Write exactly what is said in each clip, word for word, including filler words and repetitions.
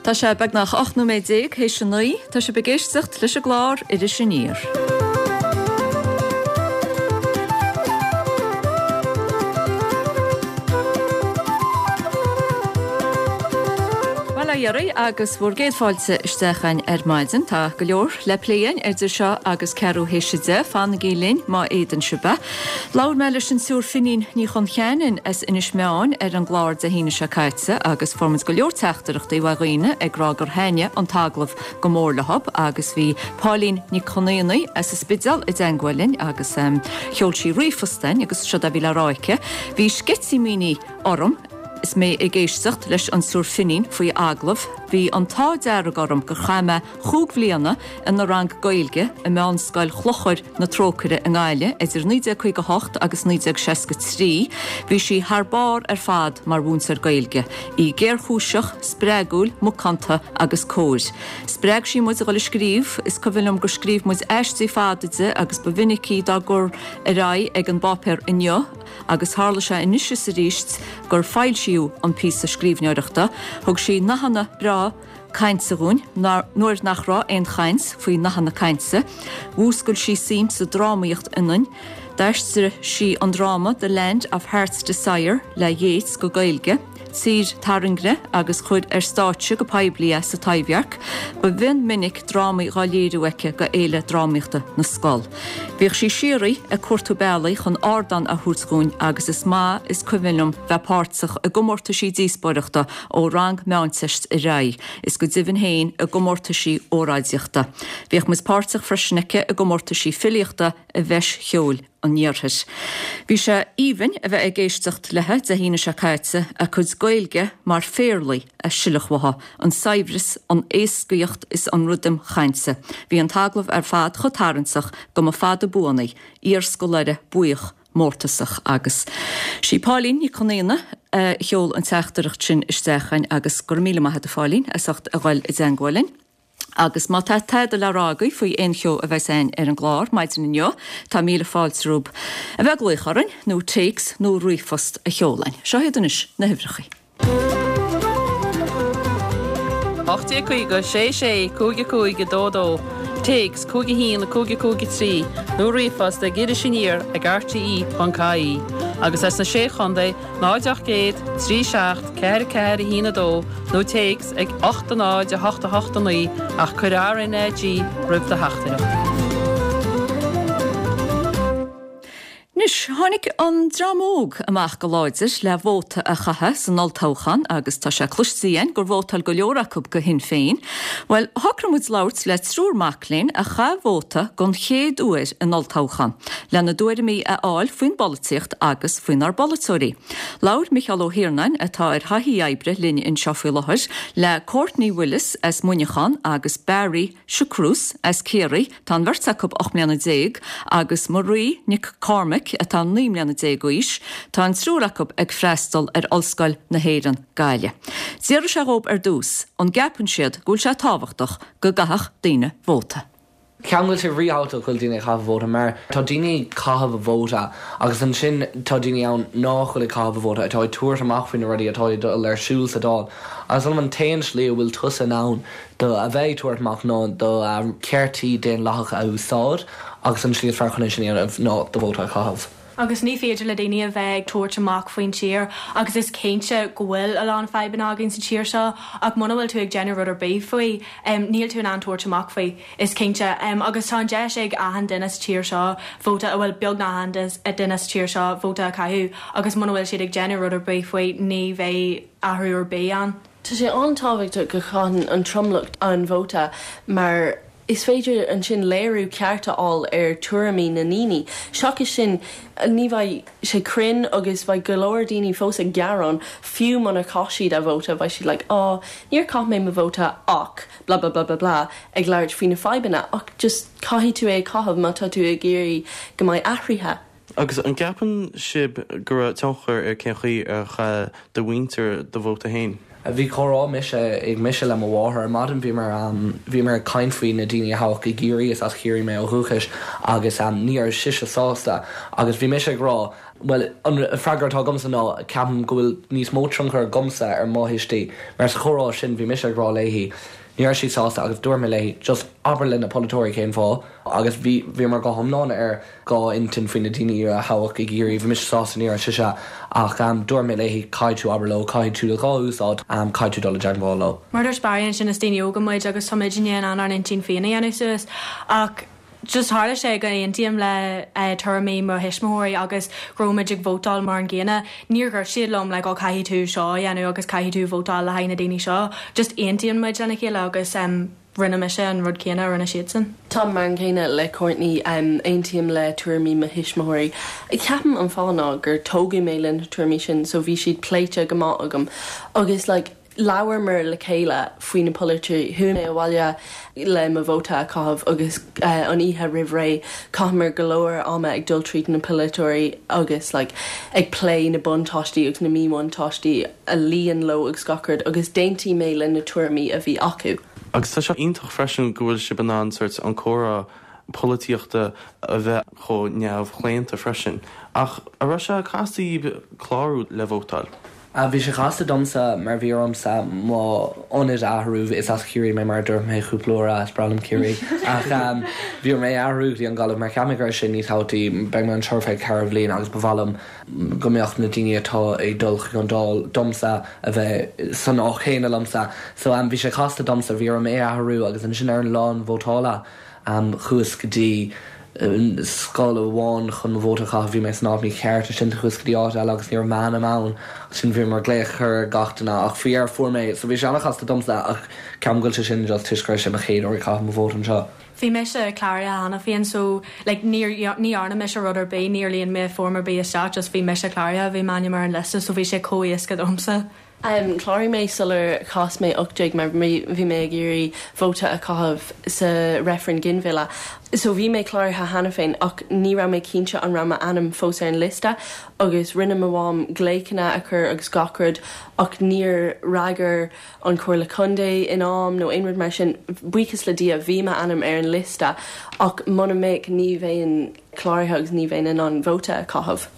Tá sé beagnach ocht nóiméad déag théis a naoi, tá sibh ag éisteacht leis an gclár Iris Aniar. Bail ó Dhia oraibh agus bhur gcéad fáilte isteach againn ar maidin. Tá go leor le plé againn idir seo agus ceathrú théis a deich. Fanaigí linn má fhéadann sibh é. Labhair mé leis an tSiúr Finín Ní Choncheanainn as Inis Meáin ar an gclár Dé hAoine seo caite agus fuair muid go leor teachtaireachtaí ó dhaoine ag rá gur thaitnigh an t-agallamh go mór leo agus bhí Pauline Nic Con Aonaigh as an Spidéal i dteangmháil linn agus sheol sí ríomhphost chugainn agus seo a bhí le rá aici, Bhí sceitimíní orm is mé ag éisteacht leis an tSiúr Finín faoi agallamh. Bhí an t-ádh dearg orm gur chaith mé chúig bhliana ina rang Gaeilge i Meánscoil Chlochar na Trócaire i nGaillimh idir naoi déag caoga a hocht agus naoi déag seasca trí. Bhí sí thar barr ar fad mar mhúinteoir Gaeilge. Í géarchúiseach, spreagúil, macánta agus cóir. Spreag sí muid a dhul ag scríobh. Is cuimhin liom gur scríobh muid aistí fada di agus ba mhinic í dá gcur ar aghaidh ag an bpáipéar Inniu agus tharla sé anois is arís gur foilsíodh an píosa scríbhneoireachta. Thug sí nathanna breá cainte dhúinn nuair nach raibh aon chaint faoi nathanna cainte. Mhúscail sí suim sa drámaíocht ionainn. D'aistrigh sí an dráma The Land of Heart's Desire le Yeats go Gaeilge, Tír Tairngre, agus chuir ar stáitse go poiblí é sa Taibhdhearc. Ba mhion minic drámaí dhá léiriú aici go Fhéile Drámaíochta na Scol. Bhíodh sí síoraí ag cuartú bealaí chun ardán a thabhairt dhúinn agus is maith is cuimhin liom bheith páirteach i gcomórtaisí díospóireachta ó rang Meánteist ar aghaidh, is go deimhin féin i gcomórtaisí óráidíochta. Bhíodh muid páirteach freisin aici i gcomórtaisí filíochta i bhFeis Cheoil an Iarthair. Bhí sé aoibhinn a bheith ag éisteacht léi Dé hAoine seo caite, a cuid Gaeilge mar phéarlaí a sileadh uaithi, an saibhreas, an éascaíocht is an rithim chainte. Bhí an t-agallamh ar fad chomh tarraingteach go mba fada buan í, iarscoláire buíoch mórtasach. Agus sí Pauline Nic Con Aonaigh a sheol an teachtaireacht sin isteach chugainn agus go raibh míle maith agat a Phauline as ucht a ghoil i dteangmháil linn. Agus má tá tada le rá agaibh faoi aon cheo a bheas againn ar an gclár maidin inniu, tá míle fáilte romhaibh a bheith ag glaoch orainn, nó téacs nó ríomhphost a sheoladh chugainn. Seo iad anois na huimhreacha. ocht déag caoga, sé sé, cúig a cúig, a dó a dó, téacs, cúig a haon, a cúig a cúig a trí, nó ríomhphost ag Iris Aniar ag rte ponc ie, agus as na Sé Chontae, náid ocht gcéad, trí seacht, ceathair a ceathair, a haon a dó, nó téacs ag ocht a náid, a hocht a hocht a naoi, ach cuir RnaG roimh do theachtaireacht. Anois, tháinig an dream óg amach go láidir le vóta a chaitheamh san olltoghchán agus tá sé cloiste againn gur vótáil go leor acu go Shinn Féin. Bhuel, shocraigh muid labhairt le triúr mac léinn a chaith vóta don chéad uair in olltoghchán, lena dtuairimí a fháil faoin bpolaitíocht agus faoinár bpolaiteoirí. Labhair Micheál Ó hIarnáin, atá ar thaithí oibre linn anseo faoi láthair, le Courtney Willis as Muineachán agus Barry Siochrús as Ciarraí, tá an bheirt acu ocht mbliana déag, agus Marie Nic Cormaic atá naoi mbliana déag d'aois. Tá an triúr acu ag freastal ar Ollscoil na hÉireann, Gaillimh. D'fhiafraigh sé dhóibh ar dtús an gceapann siad go bhfuil sé tábhachtach go gcaithfeadh daoine vóta. Ceapaim go bhfuil sé ríthábhachtach go bhfuil daoine ag caitheamh vóta mar tá daoine ag caitheamh a vóta agus ansin tá daoine ann nach bhfuil ag caitheamh a vóta atá ag tabhairt amach faoi na rudaí atá ag dul ar siúl sa Dáil agus an an t-aon slí a bhfuil tusa in ann do a bheith ag tabhairt amach ná do cheartaí daonlathacha a úsáid agus an slí is fearr chun é sin a dhéanamh ná do vóta a chaitheamh. Agus ní féidir le daoine a bheith ag tabhairt amach faoin tír agus is cinnte go bhfuil a lán fadhbanna againn sa tír seo ach muna bhfuil tú ag déanamh rud ar bith faoi níl tú in ann tabhairt amach faoi is cinnte. Agus tá an deis ag achan duine sa tír seo vóta a bhfuil beagnach achan duine sa tír seo vóta a chaitheamh agus muna bhfuil siad ag déanamh rud ar bith faoi ní bheidh athrú ar bith ann. Tá sé an-tábhachtach go chaitheann an tromlach an vóta mar is féidir ansin léiriú ceart a fháil ar tuairimí na ndaoine. Seachas sin ní bheidh sé cruinn agus beidh go leor daoine fós ag gearán fiú muna chaith siad a vóta beidh siad like á níor chaith mé mo vóta ach blah blah blah blah blah ag labhairt faoi na fadhbanna ach just caithfidh tú é a chaitheamh má tá tú ag iarraidh go mbeidh athruithe. Agus an gceapann sibh go raibh tionchar ar cén chaoi ar chaith do mhuintir do vóta féin? Bhí comhrá mise ag mise le mo mháthair ar maidin bhíomar bhíomar ag caint faoi na daoine a toghadh i gCiarraí is as Ciarraí mé ó dhúchas agus ní raibh sise sásta agus bhí mise ag rá Well an freagra atá agamsa ná ceapaim go bhfuil níos mó tionchar agamsa ar mo thuistí mar sa chomhrá sin bhí mise ag rá léi ní raibh sí sásta agus dúirt mé léi just abair le na polaiteoirí cén fáth agus bhí bhí mar go hiomlán ar dhá intinn faoi na daoine a thoghadh i gCiarraí bhí mise sásta ní raibh sise ach um, dúirt mé léi caithfidh tú abair leo caithfidh tú dhá úsáid um, caithfidh tú dul i dteagmháil leo. Mar dúirt Barry ansin is daoine óga muid agus tá muid in ann ár n-intinn féin a dhéanamh suas ach just tharla sé go n-aontaím le uh, tuairimí mo thuismitheoirí agus go raibh muid ag vótáil mar an gcéanna. Níor dhúirt siad liom le go caithfidh tú seo a dhéanamh agus caithfidh tú vótáil le haghaidh na daoine seo. Just aontaíonn muid lena chéile agus um, rinne mise an rud céanna a rinne siadsan. Tá mar an gcéanna le Courtney um, aontaím le tuairimí mo thuismitheoirí. Ceapaim an fáth ná gur tógadh mé lena tuairimí sin so bhí siad pléite go maith agam. agus like, labhramar le chéile faoi na polaiteoirí chuaigh mé abhaile le mo vóta a chaitheamh agus uh, an oíche roimh ré chaitheamar go leor ama ag dul tríd na polaiteoirí agus like, ag plé na buntáistí agus na míbhuntáistí a luíonn leo agus gach rud agus d'aontaigh mé le na tuairimí a bhí acu. Agus tá sé iontach freisin go bhfuil sibh in ann sort an comhrá polaitíochta a bheith chomh neamhchlaonta freisin. Ach an raibh sé casta clárú le vótáil. Bhí sé casta domsa mar bhí ormsa mo ionad athrú is as Ciarraí mé mar dúirt mé cúpla uair is breá liom Ciarraí ach um, bhí mé athrú dtí an Ghaillimh mar cheap mé gur sin níos tábhachtaí beidh mé anseo ar feadh ceithre bhliain agus ba mhaith liom go mbeadh na daoine atá ag dul chuig an Dáil domsa a bheith san áit chéanna liomsa so um, bhí sé casta domsa bhí orm é athrú agus ansin ar an lá vótála um, chuas go dtí scoil amháin chun vóta a bhí mé san áit mícheart sin chuas go dtí áit eile agus ní raibh m'ainm ann sin bhí mar glaoch ar gach duine ach faoi ar fuair mé so bhí sé an-chasta domsa ach ceapaim go bhfuil sé sin just toisc gur sé mo chéad uair ag caitheamh mo vóta anseo. Bhí mise cláraithe cheana féin so like, níor ní dhearna mise rud ar bith níor líon mé form ar bith isteach just bhí mise cláraithe bhí m'ainm ar an liosta so bhí sé chomh héasca domsa. Um, Chláraigh mé sular chas mé ocht déag mar bhí mé ag iarraidh vóta a chaitheamh sa reifreann ginmhilleadh. So bhí mé cláraithe cheana féin ach ní raibh mé cinnte an raibh m'ainm fós ar an liosta agus rinne mo mham glaochanna a chur agus gach rud ach níor fhreagair an Chomhairle Contae in am nó aon rud mar sin buíochas le Dia bhí m'ainm ar an liosta ach muna mbeadh ní bheinn cláraithe agus ní bheinn in ann vóta a chaitheamh.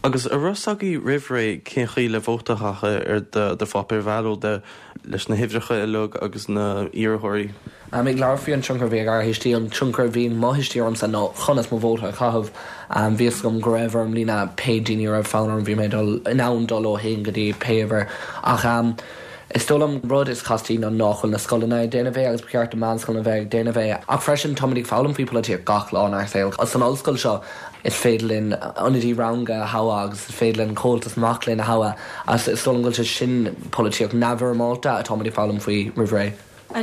Agus an raibh a fhios agaibh roimh ré cén chaoi le vóta a chaitheamh ar do pháipéar ballóide leis na huimhreacha uilig agus na hiarrthóirí. Um, ag labhairt faoi an tionchar bhí ag ár thuistí an tionchar bhí mo thuistí ormsa ná conas mo vóta a chaitheamh um, bhí gom go raibh orm líonadh pé daoine raibh fonn orm bhí mé dul in ann dul ó haon go dtí pé uimhir ach um, Is dóigh liom rud is castaí ná nach bhfuil na scoileanna ag déanamh é agus ba cheart do mheánscoileanna bheith ag déanamh é ach freisin táimid ag foghlaim faoi polaitíocht gach lá inár saol. San ollscoil seo is féidir linn ionadaí ranga a thoghadh agus is féidir linn comhaltas mac léinn a thoghadh as is dóigh liom go bhfuil sé sin polaitíocht neamhfhoirmeálta atáimid ag foghlaim faoi roimh ré.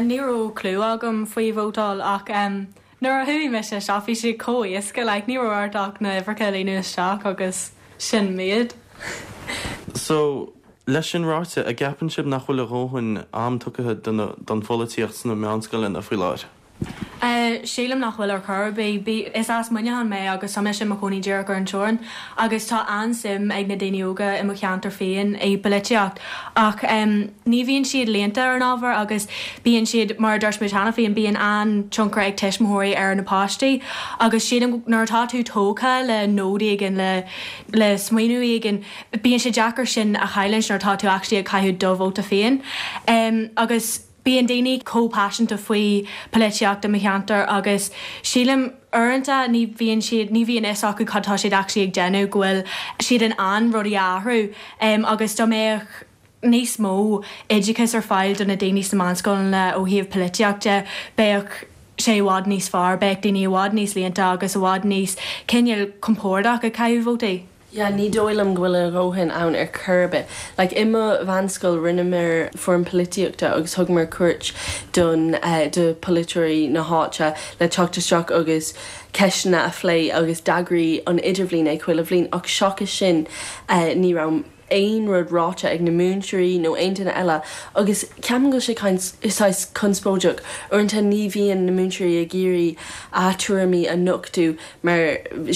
Ní raibh clue agam faoi vótáil ach um, nuair a chuaigh mise isteach bhí sé chomh héasca like, ní raibh ort ach na huimhreacha a líonadh isteach agus sin méid. So leis sin ráite an gceapann sibh nach bhfuil a dhóthain am tugtha don pholaitíocht sna meánscoileanna faoi láthair. Uh, Sílim nach bhfuil ar chor ar bith is as Muineachán mé agus tá mise i mo chónaí díreach ar an teorainn agus tá an-suim ag na daoine óga i mo cheantar féin i bpolaitíocht ach um, ní bhíonn siad léannta ar an ábhar agus bíonn siad mar dúirt muid cheana féin bíonn an-tionchar ag tuismitheoirí ar na páistí agus sílim nuair atá tú tógtha le nod éigin le le smaoineamh éigin bíonn sé deacair sin a chailliúint nuair atá tú actually ag caitheamh do vóta féin um, agus bíonn daoine chomh paiseanta faoi polaitíocht i mo cheantar agus sílim uaireanta ní bhíonn siad ní bhíonn fhios acu cad tá siad actually ag déanamh go bhfuil siad in ann rudaí a athrú um, agus dá mbeadh níos mó oideachas ar fáil do na daoine sna meánscoileanna ó thaobh polaitíochta bheadh sé i bhfad níos fearr, bheadh daoine i bhfad níos léannta agus i bhfad níos cineál compordach ag caitheamh vótaí. Ja, ní dóigh liom go bhfuil a dhóthain ann ar chor ar bith. Like, i mo mheánscoil rinneamar foireann polaitíochta agus thugamar cuairt don uh, do polaiteoirí na háite le teacht isteach agus ceisteanna a phlé agus d'eagraigh an idirbhliain é chuile bhliain ach seachas sin uh, ní raibh aon rud ráite ag na múinteoirí nó aon duine eile agus ceapaim go bhfuil sé saghas conspóideach uaireanta ní bhíonn na múinteoirí ag iarraidh a dtuairimí a nochtadh mar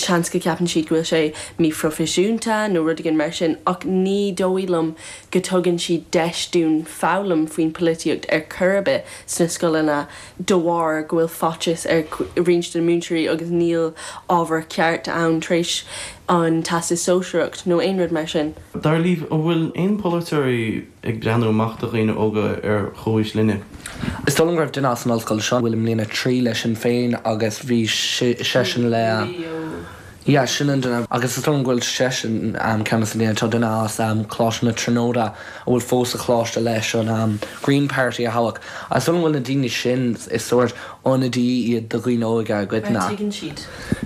seans go gceapann siad go bhfuil sé míphroifisiúnta nó rud éigin mar sin ach ní dóigh liom go dtugann siad deis dúinn foghlaim faoin polaitíocht ar chor ar bith sna scoileanna de bharr go bhfuil faitíos ar roinnt de na múinteoirí agus níl ábhar ceart ann tar éis an Teastas Sóisearach nó aon rud mar sin. Dar libh an bhfuil aon polaiteoirí ag breathnú amach do dhaoine óga ar chomhaois linne. Is dóigh liom go raibh duine as an ollscoil seo bhfuil i mbliain a trí le Sinn Féin agus bhí seisean le Ja sin an duine agus is dóigh liom go bhfuil seisean um, ceann sa tá duine as um, Coláiste na Tríonóide a bhfuil fós sa choláiste leis an um, Green Party a thoghadh. Is dóigh liom bhfuil na daoine sin is sórt ionadaí iad do dhaoine óga goitna. Tuigeann siad.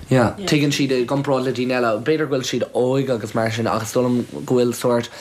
Ja, tuigeann siad i gcomparáid le daoine eile, b'fhéidir go bhfuil siad óig agus mar sin agus dóigh liom go bhfuil sórt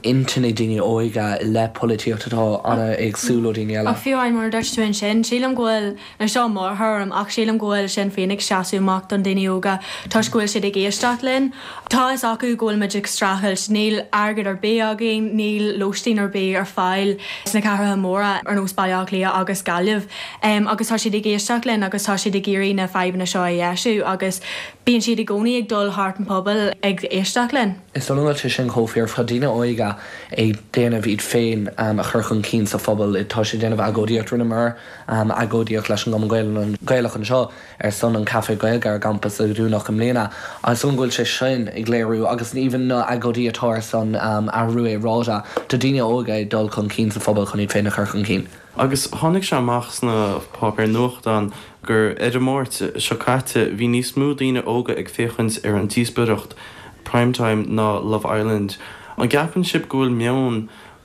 intinn ag daoine óga le polaitíocht atá an-éagsúil ó daoine eile. Ach fiú amháin mar dúirt tú ansin, sílim go bhfuil na seo mórthuairim ach sílim go bhfuil Sinn Féin ag seasamh amach don daoine óga toisc go bhfuil siad ag éisteacht linn. Tá fhios acu go bhfuil muid ag streachailt, níl airgead ar bith againn, níl lóistín ar bith ar fáil sna cathracha móra ar nós Baile Átha Cliath agus Gaillimh. Um, agus tá siad ag éisteacht linn agus tá siad ag iarraidh na fadhbanna seo a dheisiú agus bíonn siad i gcónaí ag dul thart an pobal ag éisteacht linn. Is dóigh liom sé sin chomh fíor tá daoine óga ag déanamh iad féin um, a chur chun cinn sa phobal tá sé déanamh agóidíocht rinneamar um, agóidíocht leis an gCumann Gael Gaelach anseo ar son an Café Gaeilge ar gcampus a dúnadh i mbliana agus an bhfuil sé sin ag léiriú agus even na agóidí atá ar son um, athrú aeráide tá daoine óga ag dul chun cinn sa phobal chun iad féin a chur chun cinn. Agus tháinig sé amach sna páipéir nuachtáin gur ar an Máirt seo caite bhí níos mó daoine óga ag féachaint ar an díospóireacht Primetime ná Love Island. An gceapann sibh go bhfuil meon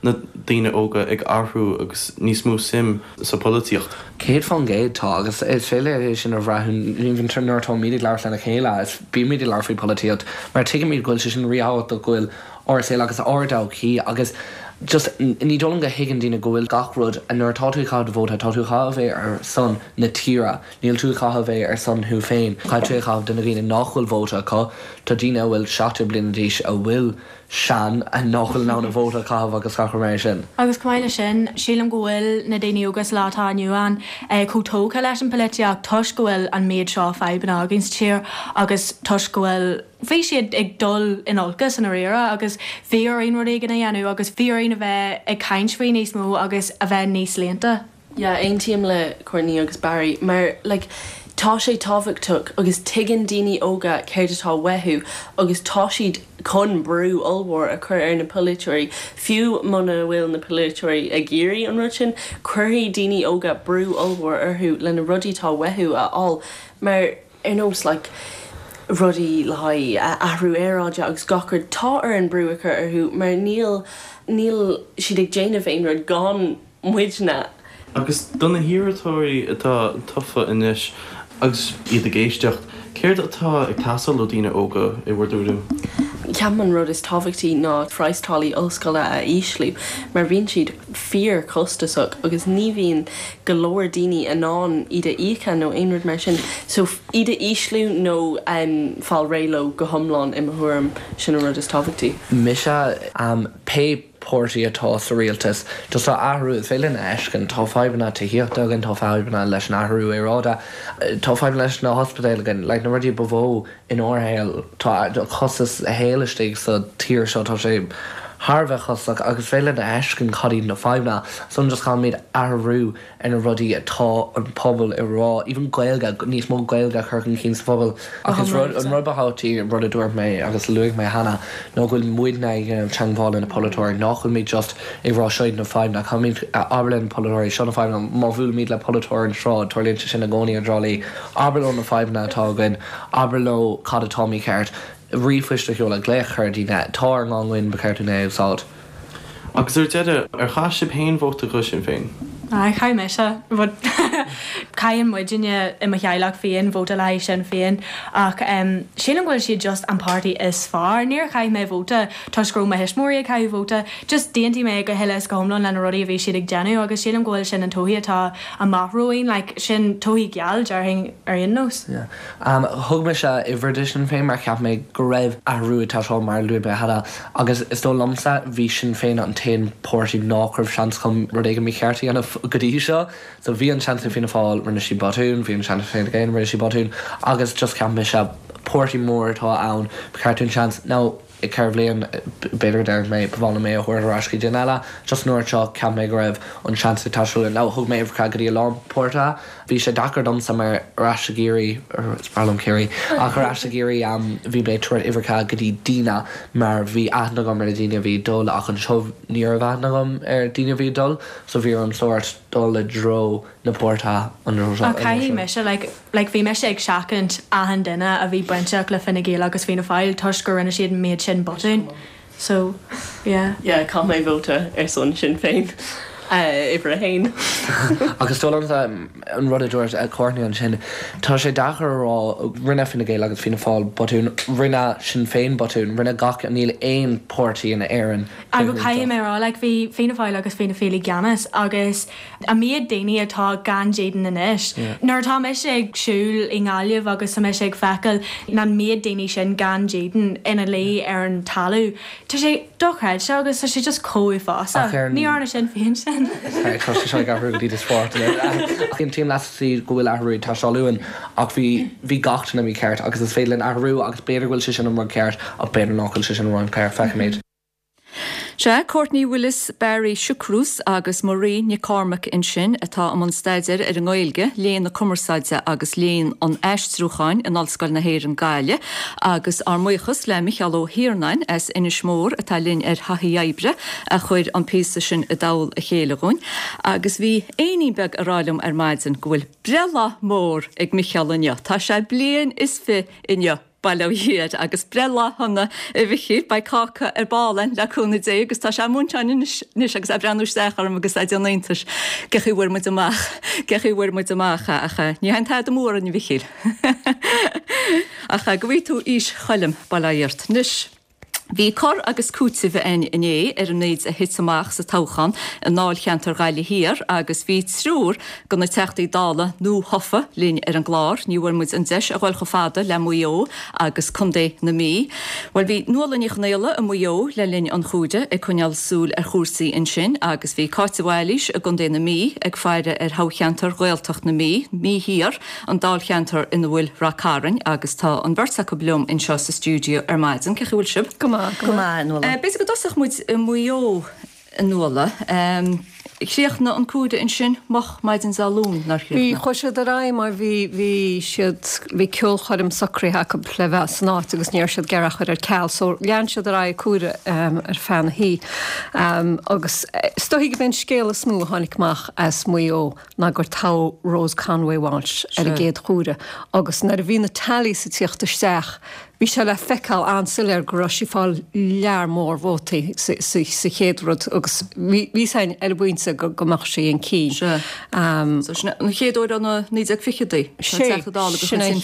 na daoine óga ag athrú agus níos mó suim sa polaitíocht. Céad faoin gcéad tá agus is féidir é sin a bhrath nuair atáimid ag labhairt lena chéile is bímid ag labhairt faoi polaitíocht, mar tuigimid go bhfuil sé sin ríthábhachtach go bhfuil ár saol agus ár dtodhchaí agus just ní dóigh liom go dtuigeann daoine go bhfuil gach rud a nuair atá tú ag caitheamh vóta tá tú chaitheamh é ar son na tíre, Níl tú chaitheamh é ar son thú féin, Caithfidh tú caitheamh do na daoine nach bhfuil vóta acu, Tá daoine a bhfuil seachtó bliana d'aois a bhfuil sean a nach bhfuil in ann a vóta caitheamh agus gach mar sin. Agus chomh maith leis sin, sílim go bhfuil na daoine óga sa lá atá inniu ann eh, chomh tógtha leis an polaitíocht toisc go bhfuil an méid seo fadhbanna againn sa tír agus toisc go bhfuil bhí siad ag dul in olcas an aréire agus bhí orainn rud éigin a dhéanamh agus bhí orainn a bheith ag caint faoi níos mó agus a bheith níos léannta. Ja, aontaím le Courtney agus Barry, mar like, tá sé tábhachtach agus tuigeann daoine óga céard atá uathu agus tá siad chun brú ollmhór a chur ar na polaiteoirí fiú muna bhfuil na polaiteoirí ag iarraidh an rud sin, cuirfidh daoine óga brú ollmhór orthu lena rudaí atá uathu a fháil mar ar nós like, rudaí le haghaidh athrú aeráide agus gach rud tá orainn brú a chur orthu mar níl níl siad ag déanamh aon rud gan muidne. Agus do na hiarrthóirí atá tofa anois agus iad ag éisteacht, céard atá ag teastáil ó daoine óga i bhur dtuairim? Ceapaim an rud is tábhachtaí ná praghas táillí ollscoile a ísliú, mar bíonn siad fíorchostasach agus ní bhíonn go leor daoine in ann iad a íoc nó aon rud mar sin, so iad a ísliú nó um, fáil réidh leo go hiomlán i mo thuairim sin an rud is tábhachtaí. Mise um, pé páirtí atá sa rialtas just tá athrú is féidir a fheiscint tá fadhbanna tithíochta againn tá fadhbanna leis an athrú aeráide tá fadhbanna leis na hospidéil againn like, na rudaí ba mhó in ár shaol tá costas shaol istigh sa tír seo tá sé thar bheith costasach agus féidir a fheiscint cad iad na fadhbanna so just caithfimid athrú ar na rudaí atá an pobal ag rá even Gaeilge níos mó Gaeilge a chur chun cinn sa phobal agus rud an rud ba thábhachtaí rud a dúirt mé agus luaigh mé cheana ná go bhfuil muidne ag teagmháil na polaiteoirí nach bhfuil muid just ag rá seo na fadhbanna caithfimid abair le polaiteoirí seo na fadhbanna má bhuailimid le polaiteoir an sráid tarlaíonn sé sin i gcónaí i dTrá Lí abair leo na fadhbanna atá againn abair leo cad atá mícheart ríomhphoist a sheoladh glaoch ar daoine tá ár nglúin ba cheart dúinn é úsáid. Agus ar deireadh ar chaith sibh féin vóta do Shinn Féin. Chaith mise Caitheann muidne i mo theaghlach féin vóta le Sinn Féin ach um, sílim go bhfuil siad just an páirtí is fearr. Níor chaith mé vóta toisc go raibh mo thuismitheoirí ag caitheamh vóta, just d'aontaigh mé go huile is go hiomlán lena rudaí a bhí siad ag déanamh agus sílim go bhfuil sin an todhchaí atá amach romhainn, like, sin todhchaí geal déarfainn ar aon nós. Yeah. Um, thug mise uimhir do Sinn Féin mar cheap mé go raibh athrú ag teastáil mar luaigh mé cheana agus is dóigh liomsa bhí Sinn Féin an t-aon páirtí nach raibh seans chun rud éigin mícheart a dhéanamh go dtí seo. So bhí an seans ag Fianna Fáil rinne siad botún, bhí an seans Fine Gael rinne siad botún agus just cheap mise páirtí mór atá ann ba cheart dúinn seans. Now i ceithre bhliain b'fhéidir go déarfaidh mé ba mhaith liom é a thabhairt ar ais go duine eile. Just an uair seo cheap mé go raibh an seans ag teastáil uainn. Now thug mé uimhir go dtí a lán páirtithe. Bhí sé deacair domsa mar ar ais i gCiarraí is breá liom Ciarraí ach ar ais i gCiarraí um, bhí mé ag tabhairt uimhreacha go dtí daoine mar bhí aithne agam ar na daoine a bhí ag dul ach anseo ní raibh aithne agam ar daoine a bhí ag dul so bhí orm sórt dul i dtreo na páirtithe an Ach caithfidh mise like, like bhí mise ag seachaint achan duine a bhí bainteach le Fine Gael agus Fianna Fáil toisc gur rinne siad an méid sin botún. So yeah. Yeah, chaith mé vóta ar son Sinn Féin uimhir a haon. Agus dul an rud a dúirt Courtney ansin tá sé deacair a rá rinne Fine Gael agus Fianna Fáil botún rinne Sinn Féin botún rinne gach níl aon páirtí in Éirinn. Agus caithfidh mé rá like, bhí Fianna Fáil agus Fianna Féin i gceannas agus an méid daoine atá gan dídean anois. Yeah. Nuair atá mise ag siúl i nGaillimh agus tá mise ag feiceáil an méid daoine sin gan dídean ina luí ar an talamh. Tá sé dochreidte agus tá sé just chomh Ach uafásach. ar an- Ní arna sin féin sin. Tá sé seo ag athrú go dtí sport Aontaím leat go bhfuil athrú tá luan ach bhí bhí gach duine mícheart agus is féidir linn athrú agus b'fhéidir go bhfuil sé sin an rud ceart ach b'fhéidir nach bhfuil sé sin an rud ceart feicfimid. Sé Courtney Willis, Barry Siochrús agus Marie Nic Cormaic ansin atá i mbun staidéir ar an nGaeilge, léann na cumarsáide agus léann an aistriúcháin in Ollscoil na hÉireann Gaillimh, agus ár mbuíochas le Micheál Ó hIarnáin as Inis Mór atá linn ar thaithí oibre a chuir an píosa sin i dtoll a chéile dhúinn, agus bhí éinín beag ag rá liom ar maidin go bhfuil breithlá mór ag Micheál inniu. Tá sé bliain is fiche inniu. Bail ó Dhia air agus breithlá shona a Mhichíl beidh cáca ar ball le cúnamh Dé agus tá sé múinteán anois agus é ag breathnú isteach orm agus é ag déanamh iontais cén chaoi a bhfuair muid amach cén chaoi a bhfuair muid amach ach ní haon tada mór an Mhichíl. Ach go bhfaighidh tú aois Choilm bail ó Dhia ort. Anois. Bhí cur agus cúiteamh againn inné ar an méid a thit amach sa toghchán i ndáilcheantar Ghaillimh Thiar agus bhí triúr de na Teachtaí Dála nuathofa linn ar an gclár. Ní bhfuair muid an deis a dhul chomh fada le Maigh Eo agus Contae na Mí. Well bhí Nuala Ní Chonaola i Maigh Eo le linn an chuaire ag coinneáil súil ar chúrsaí ansin agus bhí Cáit de Bhailís i gContae na Mí ag faire ar thoghcheantar Ghaeltacht na Mí, Mí Thiar, an dáilcheantar ina bhfuil Ráth Cairn agus tá an bheirt acu liom anseo sa stiúideo ar maidin cén chaoi a bhfuil sibh. Go maith go maith Nuala. B'fhéidir go dtosódh muid i Maigh Eo Nuala. Chríochnaigh an comhaireamh ansin moch maidin Dé Luain nár Bhí chríochnaigh. chuaigh siad ar aghaidh mar bhí bhí siad bhí ceolchoirm socraithe acu le bheith san áit agus ní raibh siad ag iarraidh a chur ar ceal, so lean siad ar aghaidh comhaireamh um, ar feadh na hoíche. Um, agus is dóigh gurb é an scéal is mó a tháinig amach as Maigh Eo ná gur toghadh Rose Conway Walsh ar an gcéad chomhaireamh. Agus nuair a bhí na tallies ag tíocht isteach, bhí sé le feiceáil an-soiléir go raibh sí ag fáil lear mór vótaí sa chéad rud agus bhí sé ar an bpointe go go mbeadh sí chun cinn. Um, so sin an chéad uair ó na naoi déag fichidí Sin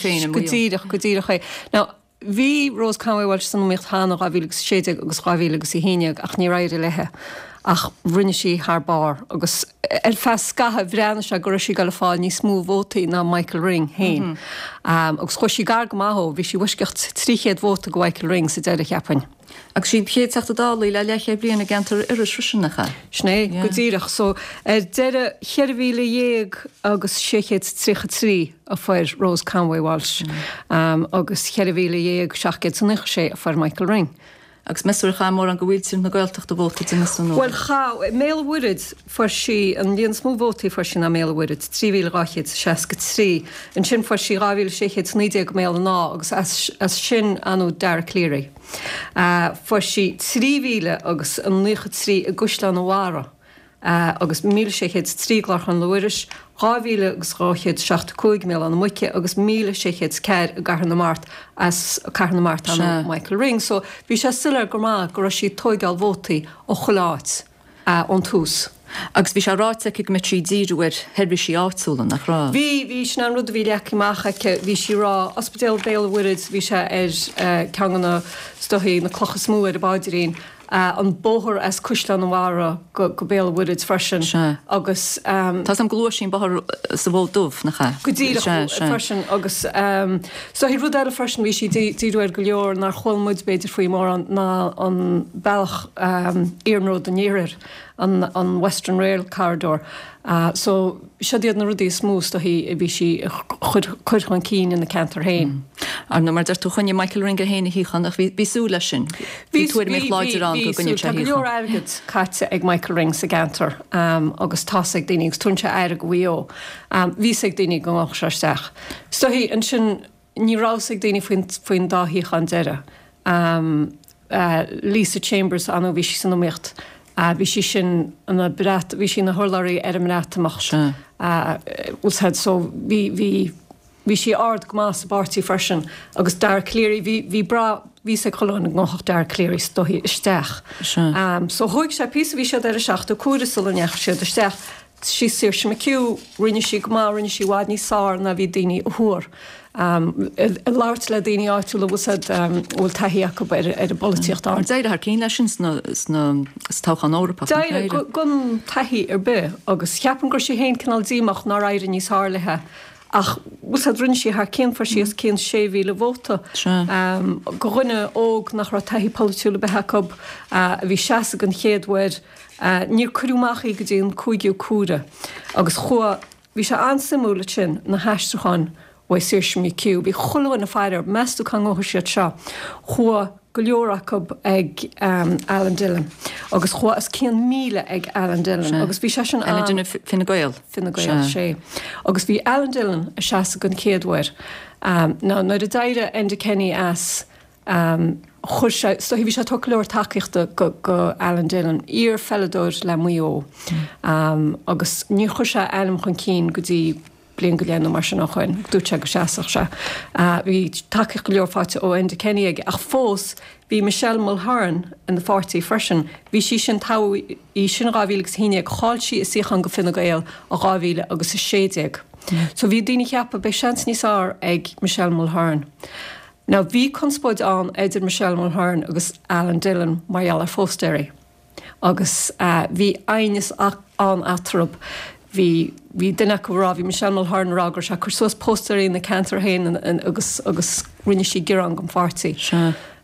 féin go díreach go díreach é. Now, bhí Rose Conway Walsh san iomaíocht cheana dhá mhíle agus sé déag agus dhá mhíle agus a haon déag ach níor éirigh léi ach rinne sí thar barr agus ar feadh scaithimh bhreathnaigh sé go raibh sí ag gabháil a fáil níos mó vótaí ná Michael Ring féin. Mm -hmm. um, agus chuaigh sí gar go maith dó, bhí sí i bhfoisceacht trí chéad vóta go Michael Ring sa deireadh cheapfainn. Agus sí an chéad Teachta Dála le leathchéad bliain i gceantar Iorrais freisin nach ea? Sin é go díreach so ar deireadh ceithre mhíle dhéag agus sé chéad tríocha trí a fuair Rose Conway Walsh mm. um, agus ceithre mhíle dhéag seacht gcéad is nócha sé a fuair Michael Ring. Agus measúr cha mór an go bhfuil na Gaeltachta vóta de mis an Well cha i mBéal an Mhuirthead fuair sí an líon is mó vótaí fuair sí ná Béal an Mhuirthead trí mhíle dhá chéad seasca trí. Ansin fuair sí dhá mhíle sé chéad naoi déag i mBéal an Átha agus as, as sin anu Dara Calleary. Uh, fuair sí trí mhíle agus an nócha trí i gCaisleán an Bharraigh. Uh, agus míle sé chéad trí i gClár Chonnail Mhuiris, dhá mhíle agus dhá chéad seachtó cúig i mBéal Átha na Muice agus míle sé chéad ceathair i gCathair na Mart as Cathair na Mart an Michael Ring. So bhí sé soiléir go maith go raibh sí ag tógáil vótaí ó chuile áit uh, ón tús. Agus bhí sé ráite aici go mbeadh sí ag díriú ar sheirbhísí áitiúla nach raibh. Bhí bhí sin an rud a bhí leagtha amach aici, bhí sí ag rá Ospidéal Béal an Mhuirthead, bhí sé ar uh, ceann de na is dóichí na clocha is mó ar a bpaidrín. Uh, an bóthar as Caisleán an Bharraigh go, go Béal an Mhuirthead freisin agus um, Tá am glúa sin bóthar sa Mhol Dubh nach ea? Go díreach freisin agus um, so hí rud eile freisin bhí sí díriú ar go leor nár chuala muid b'fhéidir faoi mórán ná an bealach um, iarnróid an iarthair an, an Western Rail Corridor. Uh, so siod iad na rudaí is mó is dóichí a bhí sí a chur chur chun cinn ina ceantar féin. Ar nó mar deir tú choinnigh Michael Ring é féin a shuíochán ach bhí bhí súil leis sin. Bhí tuairimíocht láidir ann go gcoinneodh sé a Tá go leor shuíochán. airgead caite ag Michael Ring sa gceantar um, agus tá ag daoine agus tugann sé aire do Mhaigh Eo. Um, bhí ag daoine go ngabhfadh sé isteach. Is dóichí ansin ní raibh ag daoine faoin, faoin dá shuíochán deireadh. Um, uh, Lisa Chambers ann bhí sí san iomaíocht. Uh, bhí sí sin ina Breat bhí sí ina hurlabhraí ar an mBreatimeacht. Uh, well so bhí bhí bhí sí ard go maith sa bpáirtí freisin agus Dara Calleary bhí bhí bra bhí sé cholún an ngóthach Dara Calleary is dóichí isteach. Um, so thóg sé píosa bhí siad ar a seachtú cuaire sula ndeachaigh siad isteach. Sí Saoirse McHugh rinne sí go maith rinne sí i bhfad níos fearr ná bhí daoine a thuar. Um, ag labhairt le daoine áitiúla bhfuil um, bhfuil taithí acu ar ar an bpolaitíocht Ar d'éirigh thar cinn leis sin sna sna sa toghchán Eorpach. nach D'éirigh éirigh? gan taithí ar bith agus cheapaim gur sí féin cineál díomách nár éirigh níos fearr léithe. Ach bhfuil rinne sí thar cinn fuair sí os cionn sé mhíle vóta. Um, go dhuine óg nach raibh taithí polaitiúil ar bith acu uh, a bhí seasamh an chéad uair uh, níor cuireadh amach í go dtí an cúigiú cuaire. Agus chua bhí sé an-suimiúil sin na haistriúcháin ó Saoirse McHugh, bhí chuile dhuine ag faire meas tú cá ngabhfaidh siad seo. Chuaigh go leor acu ag um, Alan Dillon. Agus chuaigh os cionn míle ag Alan Dillon. Agus bhí sé sin Alan Dillon Fine Gael. Fine Gael sé. Agus bhí Alan Dillon ag seasamh an chéad uair. Um, ná nuair a d'éirigh Enda Kenny as um, chuir sé so bhí sé go leor tacaíochta go, go Alan Dillon iar-pheileadóir le Maigh Eo. Um, agus ní chuir sé ainm chun cinn go dtí bliain go leith nó mar sin ó shin, dúirt sé go seasfadh sé. Uh, bhí tacaíocht go leor faighte ó Enda Kenny aige ach fós bhí Michelle Mulhern ina pháirtí freisin. Bhí sí sin tofa í sin dhá mhíle agus a haon déag chaill sí a suíochán go Fine Gael i dhá mhíle agus a sé déag. So bhí daoine ag ceapadh beidh seans níos fearr ag Michelle Mulhern. Now bhí conspóid ann idir Michelle Mulhern agus Alan Dillon mar gheall ar phóstaeirí. Agus uh, bhí aighneas ann eatarthu bhí bhí duine acu rá bhí Michelle Mulhern rá gur sé cur suas póstaeirí na ceantar féin agus agus rinne sí gearán don pháirtí.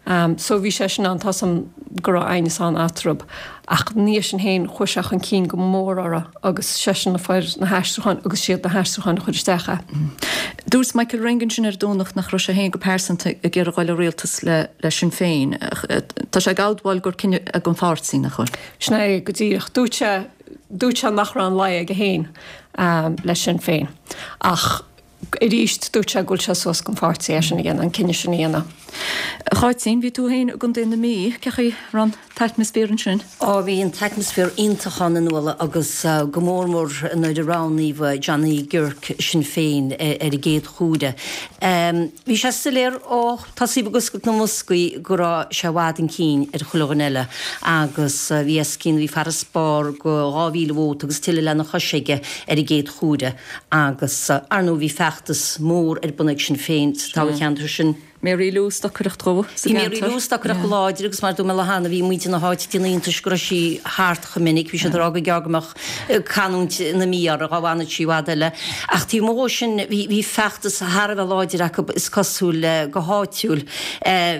Um, so bhí sé sin an tá an go raibh aighneas ann eatarthu ach ní sin féin chuaigh sé chun cinn go mór orthu agus sé sin na fuair na haistriúcháin agus siad na haistriúcháin chuir isteach. Dúirt Michael Ring ansin ar Domhnach nach raibh sé féin go pearsanta ag iarraidh dul i rialtas le le Sinn Féin. Tá sé ag admháil gur cinneadh ag an pháirtí nach bhfuil. Sin é go díreach dúirt sé dúirt sé nach raibh an laige aige féin um, le Sinn Féin. Ach arís dúirt sé go bhfuil sé suas don pháirtí é sin a dhéanamh an cinneadh sin a dhéanamh. Cháitín bhí tú féin i gContae na Mí cén chaoi raibh an t-atmaisféar ansin? Ó bhí an t-atmaisféar iontach ann a Nuala agus uh, go mór mór nuair a roghnaíodh Johnny Guirke Sinn Féin ar an gcéad chuaire. Um, bhí sé soiléir ó tosaí agus na mboscaí go raibh sé i bhfad chun cinn ar chuile dhuine eile agus uh, bhí os cionn bhí farasbarr de dhá mhíle vóta agus tuilleadh lena chois aige ar an gcéad chuaire agus uh, ar ndóigh bhí feachtas mór ar bun ag Sinn Féin sa toghcheantar sin. Mary Lou stocaireacht dhó Bhí Mary Lou stocaireacht go láidir agus mar dúirt mé cheana bhí muintir na háite iontais go raibh sí thart chomh minic, bhí siad ag rá go gearr go mbeadh canúint na Mí orthu dá bhfanfadh sí i bhfad eile. Ach taobh amuigh sin bhí bhí feachtas thar a bheith láidir acu is cosúil go háitiúil.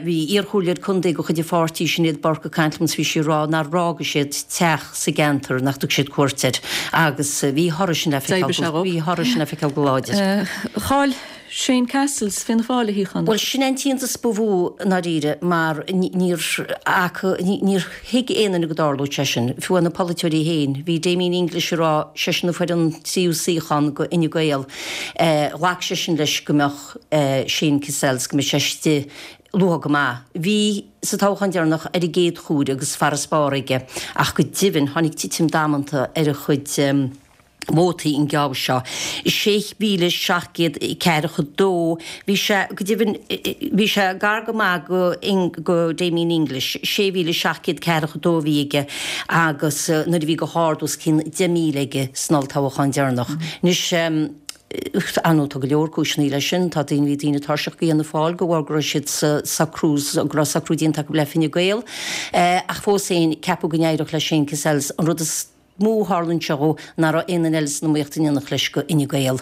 Bhí iarchomhairleoir contae de chuid an pháirtí Sinéad Burke ag caint liom bhí sí ag rá nár fhág siad teach sa gceantar nach dtug siad cuairt air agus bhí thoradh sin le feiceáil bhí thoradh sin le feiceáil go láidir. Chaill Shane Cassells Fianna Fáil a shuíochán. Well sin an t-iontas ba mhó i ndáiríre mar níor níor thuig aon duine go dtarlódh sé sin, fiú na polaiteoirí féin, bhí Damien English ag rá seisean a fuair an tríú suíochán go Fhine Gael. Ghlac seisean leis go mbeadh Shane Cassells go mbeadh sé istigh luath go maith. Bhí sa toghchán deireanach ar an gcéad chuaire agus farasbarr aige ach go deimhin tháinig titim damanta ar a chuid um, vótaí an geábh seo. Sé mhíle seacht gcéad ceathracha dó, bhí sé go deimhin bhí sé gar go maith go, go Damien English, sé mhíle seacht gcéad ceathracha dó bhí aige agus nuair a bhí go hard os cionn deich míle aige san olltoghchán deireanach. Anois um, Ar ndóigh tá go leor cúiseanna leis sin, tá daoine bhí daoine tuirseach de Fhianna Fáil de bharr go raibh siad sa socrú go raibh socrú déanta acu le Fine Gael. Eh, ach fós féin ceapadh go n-éireodh le Shane Cassells an rud is mó a tharlaíonn seo dhó nach raibh aon duine eile san iomaíocht in éineacht leis go Fhine Gael.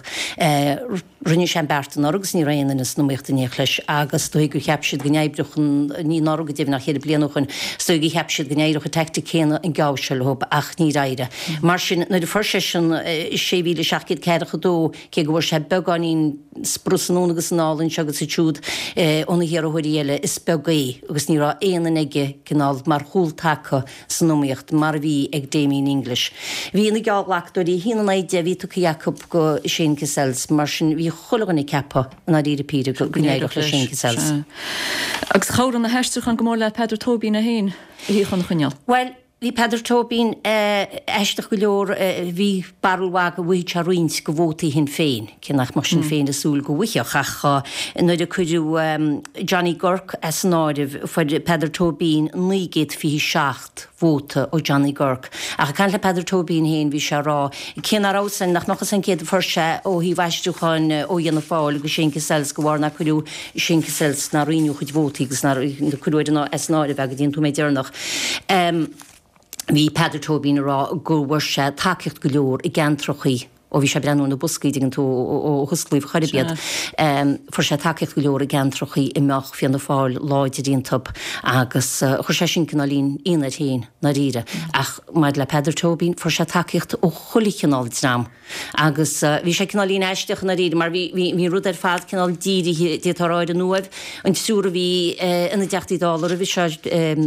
Rinne sé an beart anuraidh agus ní raibh aon duine san iomaíocht in éineacht leis agus is dóigh gur cheap siad go n-oibreodh an, ní anuraidh go deimhin ach cheithre bliana ó shoin, is dóigh gur cheap siad go n-éireodh an teaictic céanna an geábh seo leo ach níor éirigh. Mar sin nuair a fuair seisean sé mhíle seacht gcéad ceathracha dó, cé go bhfuair sé beagáinín sprus anonn agus anall anseo agus ansiúd ó na hiarrthóirí eile, is beag é agus ní raibh aon duine aige cineál mar chúltaca san iomaíocht mar a bhí ag Damien English. Bhí na geallghlacadóirí a haon in aghaidh deich a bhí tugtha acu go Shane Cassells, mar sin bhí chuile dhuine ag ceapadh i ndáiríre píre go n-éireodh le Shane Cassells. Agus chabhraigh na haistriúcháin go mór le Peadar Tóibín é féin a shuíochán a choinneáil. Bhuel, bhí Peadar Tóibín aisteach go leor, bhí barúil mhaith go bhfaighidh sé roinnt de vótaí Shinn Féin, cé nach mbeadh Sinn Féin ag súil go bhfaigheadh, ach nuair a cuireadh Johnny Guirke as an áireamh, fuair Peadar Tóibín naoi gcéad fiche seacht vóta ó Johnny Guirke. Ach ag caint le Peadar Tóibín féin, bhí sé ag rá, cé nach raibh san, nach mbeadh fhios a'inn céard a fuair sé ó thaobh aistriúcháin ó Fhianna Fáil go Shane Cassells de bharr nár cuireadh Shane Cassells, nár roinneadh a chuid vótaí agus nár cuireadh ar an as an áireamh é go dtí an nóiméad deireanach. Bhí Peadar Tóibín ag rá go bhfuair sé tacaíocht go leor i gceantrachaí, ó bhí sé ag breathnú ar na boscaí, dtuigeann tú, ó hosclaíodh chor ar bith iad. Fuair sé tacaíocht go leor i gceantrachaí a mbeadh Fianna Fáil láidir iontub agus chuir sé sin cineáilín ionadh air féin, ndáiríre. Ach maidir le Peadar Tóibín, fuair sé tacaíocht ó chuile chineál dream. Agus bhí sé cineáilín aisteach i ndáiríre mar bhí, bhí, bhí an rud ar fad cineál dírithe, d'fhéadfá a rá, ar an Uaimh. An triúr a bhí ina dTeachtaí Dála roimhe seo,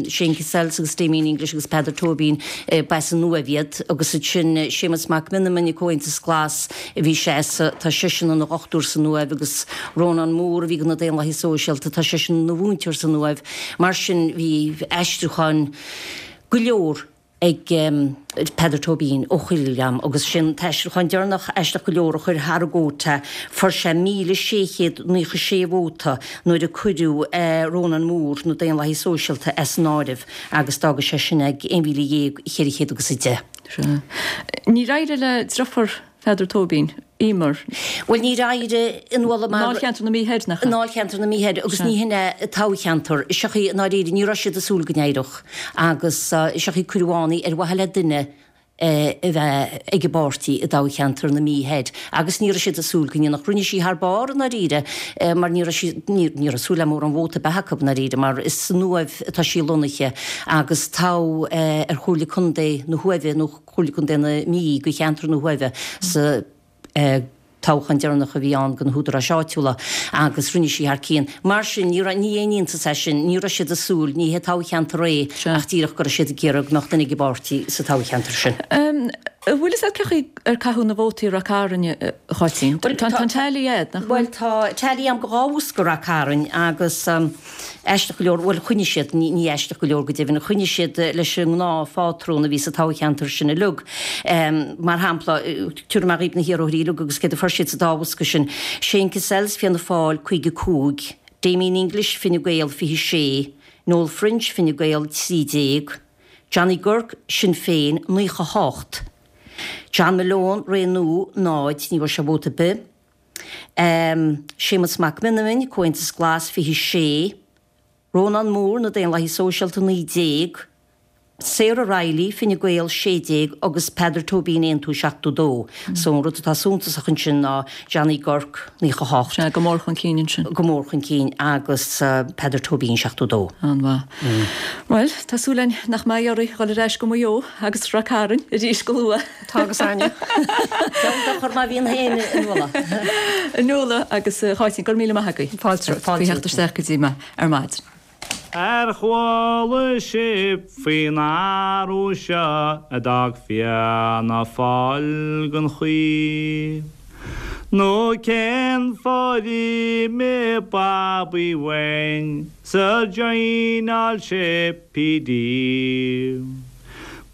Shane Cassells agus Damien English agus Peadar Tóibín, ba as an Uaimh iad. Agus ansin Séamus Mac Meanman, Comhaontas Glas a bhí sé as, tá seisean ina dhochtúir san Uaimh agus Rónán Moore a bhí do na Daonlathaithe Sóisialta, tá seisean ina mhúinteoir san Uaimh. Mar sin bhí aistriúcháin go leor ag Peadar Tóibín ó chuile dhream agus sin an t-aistriúchán deireanach aisteach go leor a chuir thar an gcuóta. Fuair sé míle sé chéad naocha sé vóta nuair a cuireadh Rónán Moore, na Daonlathaithe Sóisialta, as an áireamh agus d'fhága sé sin ag aon mhíle dhéag cheithre chéad agus a deich. Sea. Níor éirigh le deirfiúr Pheadar Tóibín, Emer. Bhuel, níor éirigh a Nuala mar. I nDáilcheantar na Mí Thoir, nach ea? I nDáilcheantar na Mí Thoir, agus ní hin é toghcheantar. Seo í, i ndáiríre, ní raibh siad ag súil go n-éireodh. Agus seo í cuireadh ann í ar mhaithe le duine a bheith ag an bpáirtí i dtoghcheantar na Mí Thoir. Agus ní raibh siad ag súil go ndéanfadh. Rinne sí thar barr, i ndáiríre, mar ní raibh sí, ní raibh súil le mórán vóta a bheith acu, i ndáiríre, mar is san Uaimh atá sí lonnaithe agus toghadh ar Chomhairle Contae na hUaimhe nó Comhairle Contae na Mí do cheantar na hUaimhe sa toghchán deireanach a bhí ann do na húdaráis áitiúla agus rinne sí thar cionn. Mar sin, ní raibh, ní aon iontas é sin, ní raibh siad ag súil, ní hé toghcheantar é ach díreach go raibh siad ag iarraidh go mbeadh duine ag an bpáirtí sa toghcheantar sin. An bhfuil fhios agat cé chaoi ar caitheadh na vótaí i Rath Cairn, a Cháitín? Tá an tally agat, nach bhfuil? Bhuel, tá tally agam do dhá bhosca Rath Cairn agus. Aisteach go leor, bhuel, choinnigh siad, ní aisteach go leor go deimhin, choinnigh siad leis an ngnáthphátrún a bhí sa toghcheantar sin uilig. Mar shampla, tabharfaidh mé dhaoibh na hiarrthóirí uilig agus céard a fuair siad sa dá bhosca sin, Shane Cassells, Fianna Fáil, caoga a cúig, Damien English, Fine Gael, fiche sé, Noel French, Fine Gael, trí déag, Johnny Guirke, Sinn Féin, naocha a hocht, John Malone, Ré Nua, náid, ní bhfuair sé vóta ar bith. Séamus Mac Meanman, Comhaontas Glas, fiche sé, Rónán Moore, Na Daonlathaithe Sóisialta, naoi déag, Sarah Reilly, Fine Gael, sé déag, agus Peadar Tóibín, Aontú, seachtó dó. So an rud atá suntasach ansin ná Johnny Guirke, naocha hocht. Sea, go mór chun cinn ansin. Go mór chun cinn agus Peadar Tóibín, seachtó dó. An-mhaith. Bhuel, tá súil againn nach mbeidh oraibh dhul ar ais go Maigh Eo agus Ráth Cairn arís go luath. Tá agus Áine. Deabhal dochar má bhíonn féin a Nuala. A Nuala agus a Cháitín, go raibh míle maith agaibh. Fáilte romhat. Faoi theacht isteach go dtí mé ar maidin. Ar chuala sibh faoin athrú seo a d'fhág Fianna Fáil gan chaoi? Nó cén fáth ar imigh Babaí uainn 's ar joineáil sé P.D.?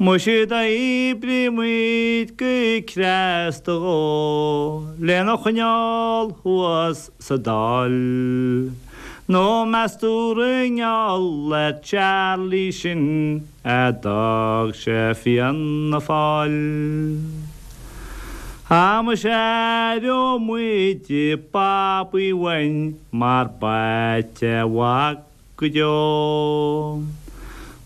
Muise d'oibrigh muid go cneasta dhó lena choinneáil thuas sa Dáil. Nó meas tú gur i ngeall ar Charlie sin a d'fhág sé Fianna Fáil? Á muise aireoidh muid Babaí uainn mar b'ait é a mhac go deo.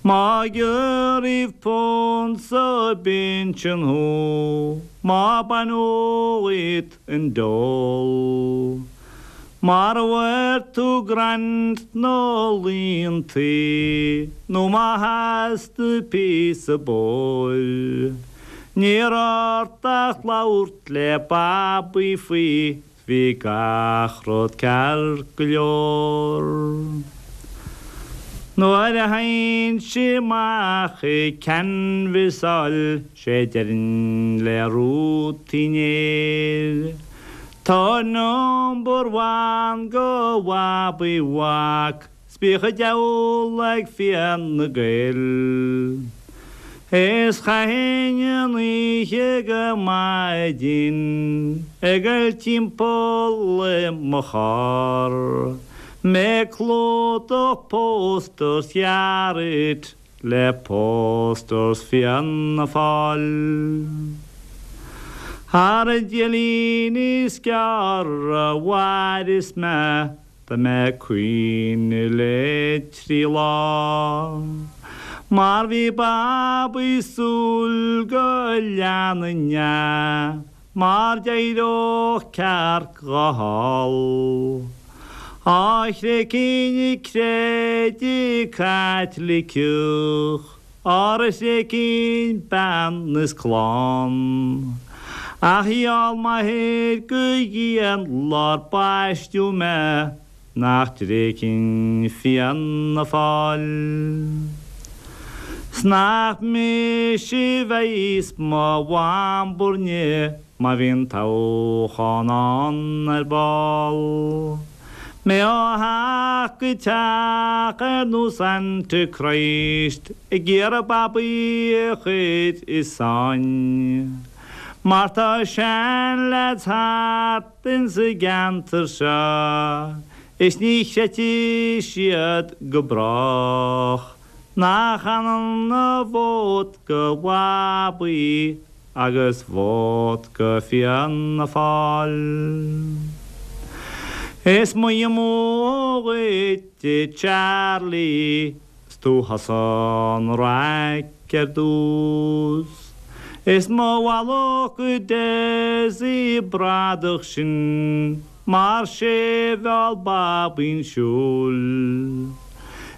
Má gearradh punt sa bpinsean thú, má baineadh dhíot an dole. Mara bhfuair tú grant nó liúntas, nó má theastaigh píosa bóil. Ní raibh ort ach labhairt le Babaí faoi, bhí gach rud ceart go leor. Nuair a théinnse amach ag canbhasáil sé déarfainn le Ruth Uí Néill. Tabhair number one go Bhabaí Mhac 's bíodh an diabhal ag Fianna Gael. Is chaithfinn an oíche go maidin ag goil timpeall i mo charr. Mé ag clúdach posters Shearratt le posters Fianna Fáil. Ar an Déardaoin is gearr a mhairfeas mé tá mé ag caoineadh le trí lá. Mar bhí Babaí ag súil go leanfainn é, mar d'éireodh cearc dhó thall. Á thréigfinn an creideamh Caitliceach, ara thréigfinn bean is clann. Ach gheall m'athair go dian lá'r baisteadh mé nach dtréigfinn Fianna Fáil. 'S nach mise a bheas mo mham burne má bhíonn toghchán ann ar ball. Mé ó theach go teach ar nós Antichrist ag iarraidh Babaí a chur i sáinn. Mar tá seanleaids thart insa gceantar seo, is ní chreidfidh siad go brách. Nach ionann a vóta go Bhabaí agus vóta go Fianna Fáil. Is moille amú dhuit a Charlie, 's tú thusa an raic ar dtús. Is mo mhallacht go Dessie bradach sin, mar sé a mheall Babaí 'un siúil.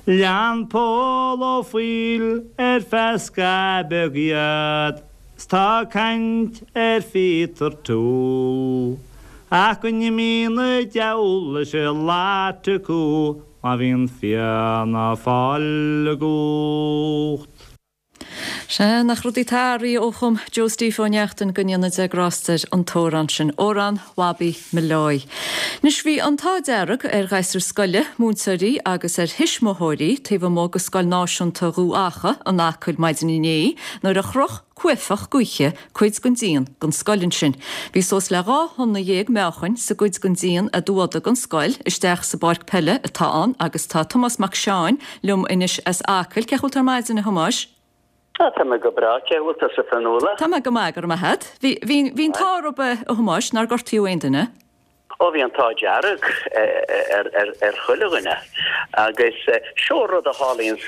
Lean Pól Ó Foighil ar feadh scaitheamh beag iad, 's tá caint ar Pheter Toole. Ach go n-imí na diabhal leis an lot acu má bhíonn Fianna Fáil i gcumhacht. Sea, nach rudaí atá athraithe ó chum Joe Steve Ó Neachtain go ndéana Dia grásta air an t-amhrán sin, Amhrán Bhabaí Molloy. Anois bhí an t-ádh dearg ar ghasúir scoile, múinteoirí agus ar thuismitheoirí taobh amuigh de Scoil Náisiúnta Dhubh Acha in Acaill maidin inné nuair a chroch cuaifeach gaoithe cuid den díon den scoil ansin. Bhí suas le dhá thonna dhéag meáchain sa gcuid den díon a dúada den scoil isteach sa bpáirc peile atá ann agus tá Tomás Mac Seáin liom anois as Acaill. Cén chaoi a bhfuil tú ar maidin a Thomáis? Tá mé go breá cén chaoi a bhfuil tusa Fionnuala. Tá mé go maith go raibh maith agat. Bhí an t-ádh oraibh a Thomáis nár gortaíodh aon duine. Ó bhí an t-ádh dearg ar chuile dhuine agus seo rud a tharlaíonn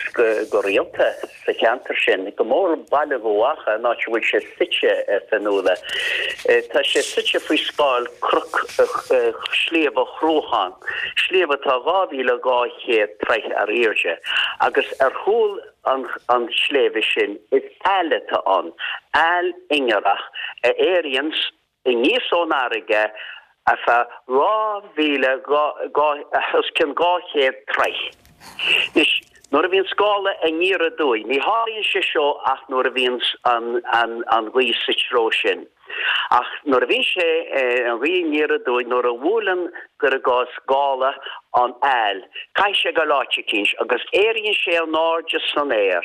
go rialta sa cheantar sin, go mór Baile Dhubh Acha an áit a bhfuil sé suite Fionnuala. Tá sé suite faoi scáil cnoc Sliabh an Chruacháin, sliabh atá dhá mhíle dhá chéad troigh ar airde agus ar chúl an an sléibhe sin is aill atá ann, aill ingearach a éiríonn aníos ón fharraige ar feadh dhá mhíle os cionn dhá chéad troigh. Anois, nuair a bhíonn scála aniar aduaidh, ní tharlaíonn sé seo ach nuair a bhíonn an an an ghaoth sa treo sin. Ach nuair a bhíonn sé an ghaoth aniar aduaidh, nuair a bhuaileann cuir i gcás gála an aill, caithfidh sé dul áit eicínt agus éiríonn sé in airde san aer.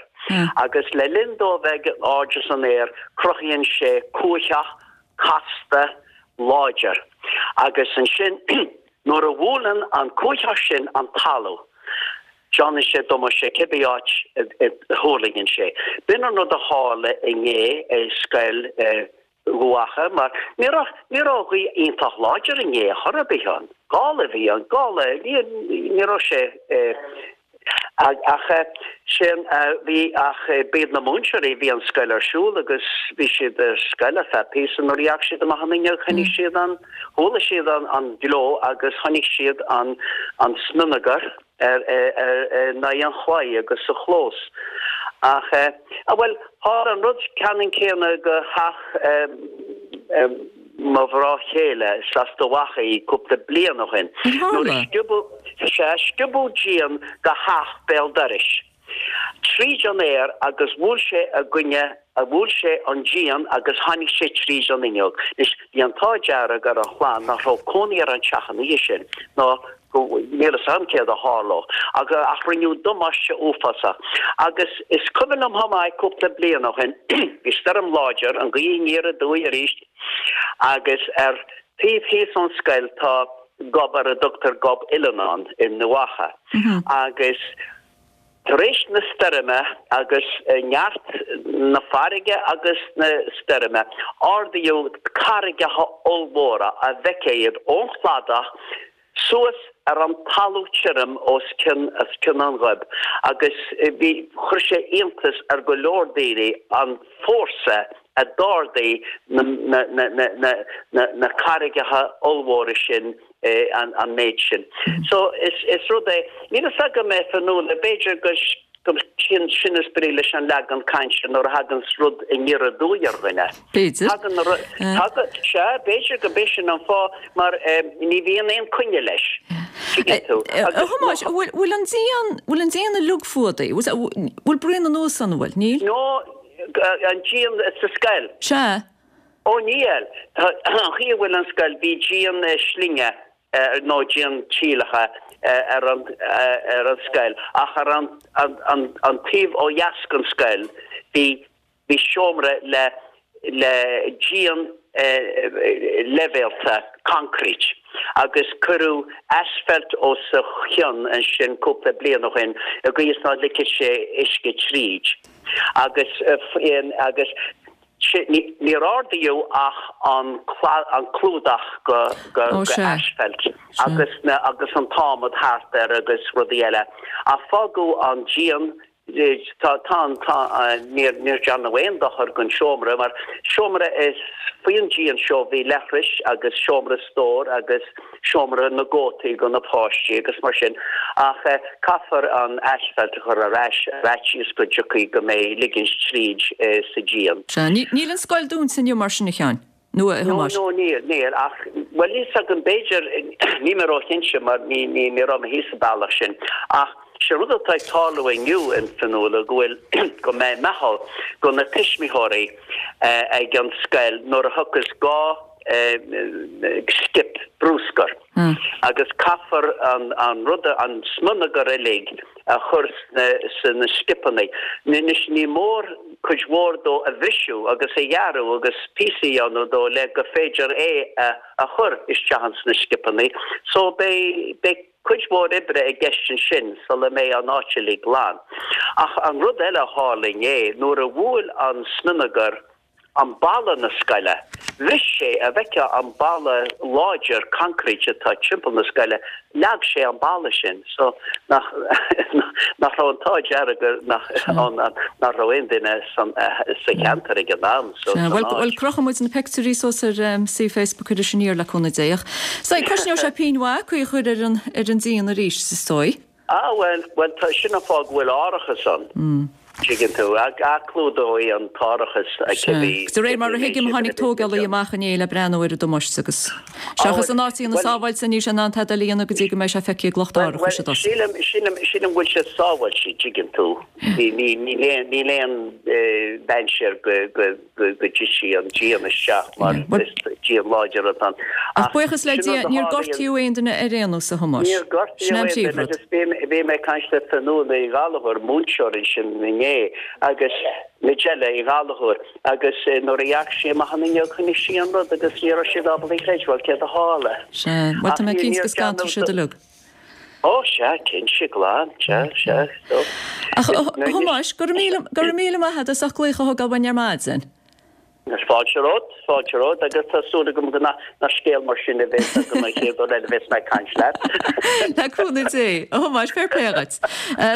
Agus le linn dó bheith in airde san aer, cruthaíonn sé cuaitheach casta láidir. Agus ansin nuair a bhuaileann an cuaitheach sin an talamh, déanann sé damáiste cibé áit a thuirlingíonn sé. B'in an rud a tharla inné i scoil Dhubh Acha mar ní raibh ní raibh gaoth iontach láidir inné ar chor ar bith ann. Gála a bhí ann, gála, ní ní raibh sé Ach sin bhí ach b'iad na múinteoirí bhí an scoil ar siúl agus bhí siad ar scoil ar feadh píosa nuair a dheachaigh siad amach an fhuinneog chonaic siad an chuala siad an an gleo agus chonaic siad an an smionagar ar ar in aghaidh an chlaí agus sa chlós. Ach a bhuel tharla an rud ceannann céanna go theach mo mhná chéile is as Dumh Acha í cúpla bliain ó shin. Nuair a sciobadh, sea, sciobadh díon de theach béal dorais tríd an aer agus bhuail sé i gcoinne, bhuail sé an díon agus tháinig sé tríd an fhuinneog. Anois, bhí an t-ádh dearg ar an chlann nach raibh cónaí ar an teach an oíche sin ná go, níl fhios agam céard a tharlódh, ach rinneadh damáiste uafásach. Agus is cuimhin liom chomh maith cúpla bliain ó shin, bhí stoirm láidir, an ghaoth aniar aduaidh arís, Agus ar taobh thíos ón scoil tá gob ar a dtugtar Gob Uilleannáin i nDumh Acha. Agus tar éis na stoirme agus neart na farraige agus na stoirme, ardaíodh carraigeacha ollmhóra a bhfeicfeá iad ón chladach suas ar an talamh tirim os cionn os cionn an ghoib agus bhí chuir sé iontas ar go leor daoine an fórsa a d'ardaigh na na na na na na na carraigeacha ollmhóra sin an an méid sin. So is is rud é níl fhios agam é Fionnuala b'fhéidir go go sin sin is brí leis an leagan cainte nuair a thagann rud aniar aduaidh ar dhuine. B'fhéidir. Tagann na ru tagann sea b'fhéidir go b'é sin an fáth mar ní bhíonn aon coinne leis. Tuigeann tú. A Thomáis, bhfuil bhfuil an díon bhfuil an díon uilig fuadaithe? Bhfuil bhfuil braon anuas ann, an bhfuil? Níl? No, an díon sa scoil. Sea. Ó níl. Tá an chaoi a bhfuil an scoil bhí díon slinge nó díon tíleacha ar an ar an scoil ach ar an an an taobh ó dheas den scoil bhí bhí seomra le le díon leibhéalta concrete agus cuireadh asphalt os a chionn ansin cúpla bliain ó shin i gcaoi is ná ligfeadh sé uisce tríd agus agus Níor ardaíodh ach an clúdach go asphalt agus agus an t-adhmad thart air agus rudaí eile. Ach fágadh an díon, tá an, tá, níor níor déanadh aon dochar don seomra mar seomra is faoin díon seo bhí leithris agus seomra stóir agus seomra na gcótaí do na páistí agus mar sin ach caithfear an asphalt a chur ar ais ar fhaitíos go dtiocfaidh go mbeidh ligint tríd sa díon. Sea, níl an scoil dúnta inniu mar sin a Sheáin, nó a Thomáis? No, no, níl, níl ach, bhuel níl 's agam, b'fhéidir, níl mé róchinnte mar ní, ní, ní raibh mé thíos sa bealach sin ach sé rud atá ag tarlú inniu a Fhionnuala go bhfuil, go mbeidh meitheal go na tuismitheoirí ag an scoil nuair a thiocfas dhá skip bruscair agus caithfear an rud, an smionagar uilig a chur sna scipeanna. Anois ní mór cuid mhór dó a bhriseadh agus a ghearradh agus píosaí a dhéanamh dó le gur féidir é a chur isteach ins na scipeanna so beidh beidh cuid mhór oibre i gceist ansin sula mbeidh an áit uilig glan. Ach an rud eile a tharla inné, nuair a bhuail an smionagar an balla na scoile. Bhris sé, a bhfeicfeá an balla láidir concrete atá timpeall na scoile, leag sé an balla sin so nach nach raibh an t-ádh dearg nach ann nach raibh aon duine san sa cheantar ag an am so Sea, san bhuel, bhuel áit. crochfaidh muid na peictiúirí suas ar suíomh Facebook Iris Aniar le cúnamh Dé ach so cosnóidh sé pingin mhaith caoi a chur ar an ar an díon arís is dóigh. Ah bhuel, bhuel tá, sin an fáth go bhfuil árachas ann, tuigeann tú, a clúdóidh an t-árachas cibé. De réir mar a thuigim tháinig tógálaí amach inné le breathnú ar an damáiste agus seachas an áit a dhéanamh sábháilte níl sé in ann tada eile a dhéanamh go dtí go mbeidh sé feicthe ag lucht árachais i dtosach. Sílim, sílim, sílim go bhfuil sé sábháilte, tuigeann tú. Ní, ní, níl aon, níl aon dainséar go, go, go dtitfidh an díon isteach mar is díon láidir atá ann. Ach buíochas le Dia, níor gortaíodh aon duine ar aon nós, a Thomáis. Níor gortaíodh aon duine agus bhí mé ag caint le Fionnuala Uí Ghallchóir, múinteoir ansin inné, agus Majella Uí Ghallchóir, agus nuair a dhearc sí amach an fhuinneog chonaic sí an rud agus ní raibh siad ábalta a chreidbheáil céard a tharla. Sea, bhuel tá mé cinnte go scanróidh siad uilig. Ó sea, cinnte, glan, sea, sea, so. Ach, a Thomáis, go raibh míle, go raibh míle maith agat as ucht glaoch a thógáil uainn ar maidin. Fáilte romhat, fáilte romhat agus tá súil agam go nach scéal mar sin a bheas agam an chéad uair eile a bheas mé ag caint leat. Le cúnamh Dé. A Thomáis, fair play dhuit.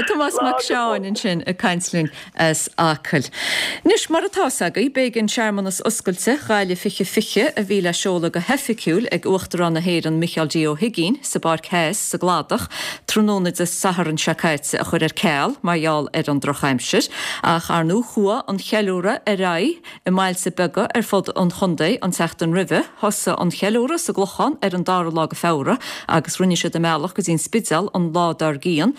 Tomás Mac Seáin ansin ag caint linn as Acaill. Anois, mar atá fhios agaibh, b'éigean searmanas oscailte Ghaillimh fiche fiche a bhí le seoladh go hoifigiúil ag Uachtarán na hÉireann Micheál D. Ó hUigínn sa bPáirc Theas sa gCladach tráthnóna Dé Sathairn seo caite a chur ar ceal mar gheall ar an drochaimsir. Ach ar ndóigh chuaigh an cheiliúradh ar aghaidh i mbailte beaga ar fud an chontae an tseachtain roimhe. Thosaigh an cheiliúradh sa gClochán ar an dara lá de Feabhra agus rinne siad a mbealach go dtí an Spidéal an lá dár gcionn.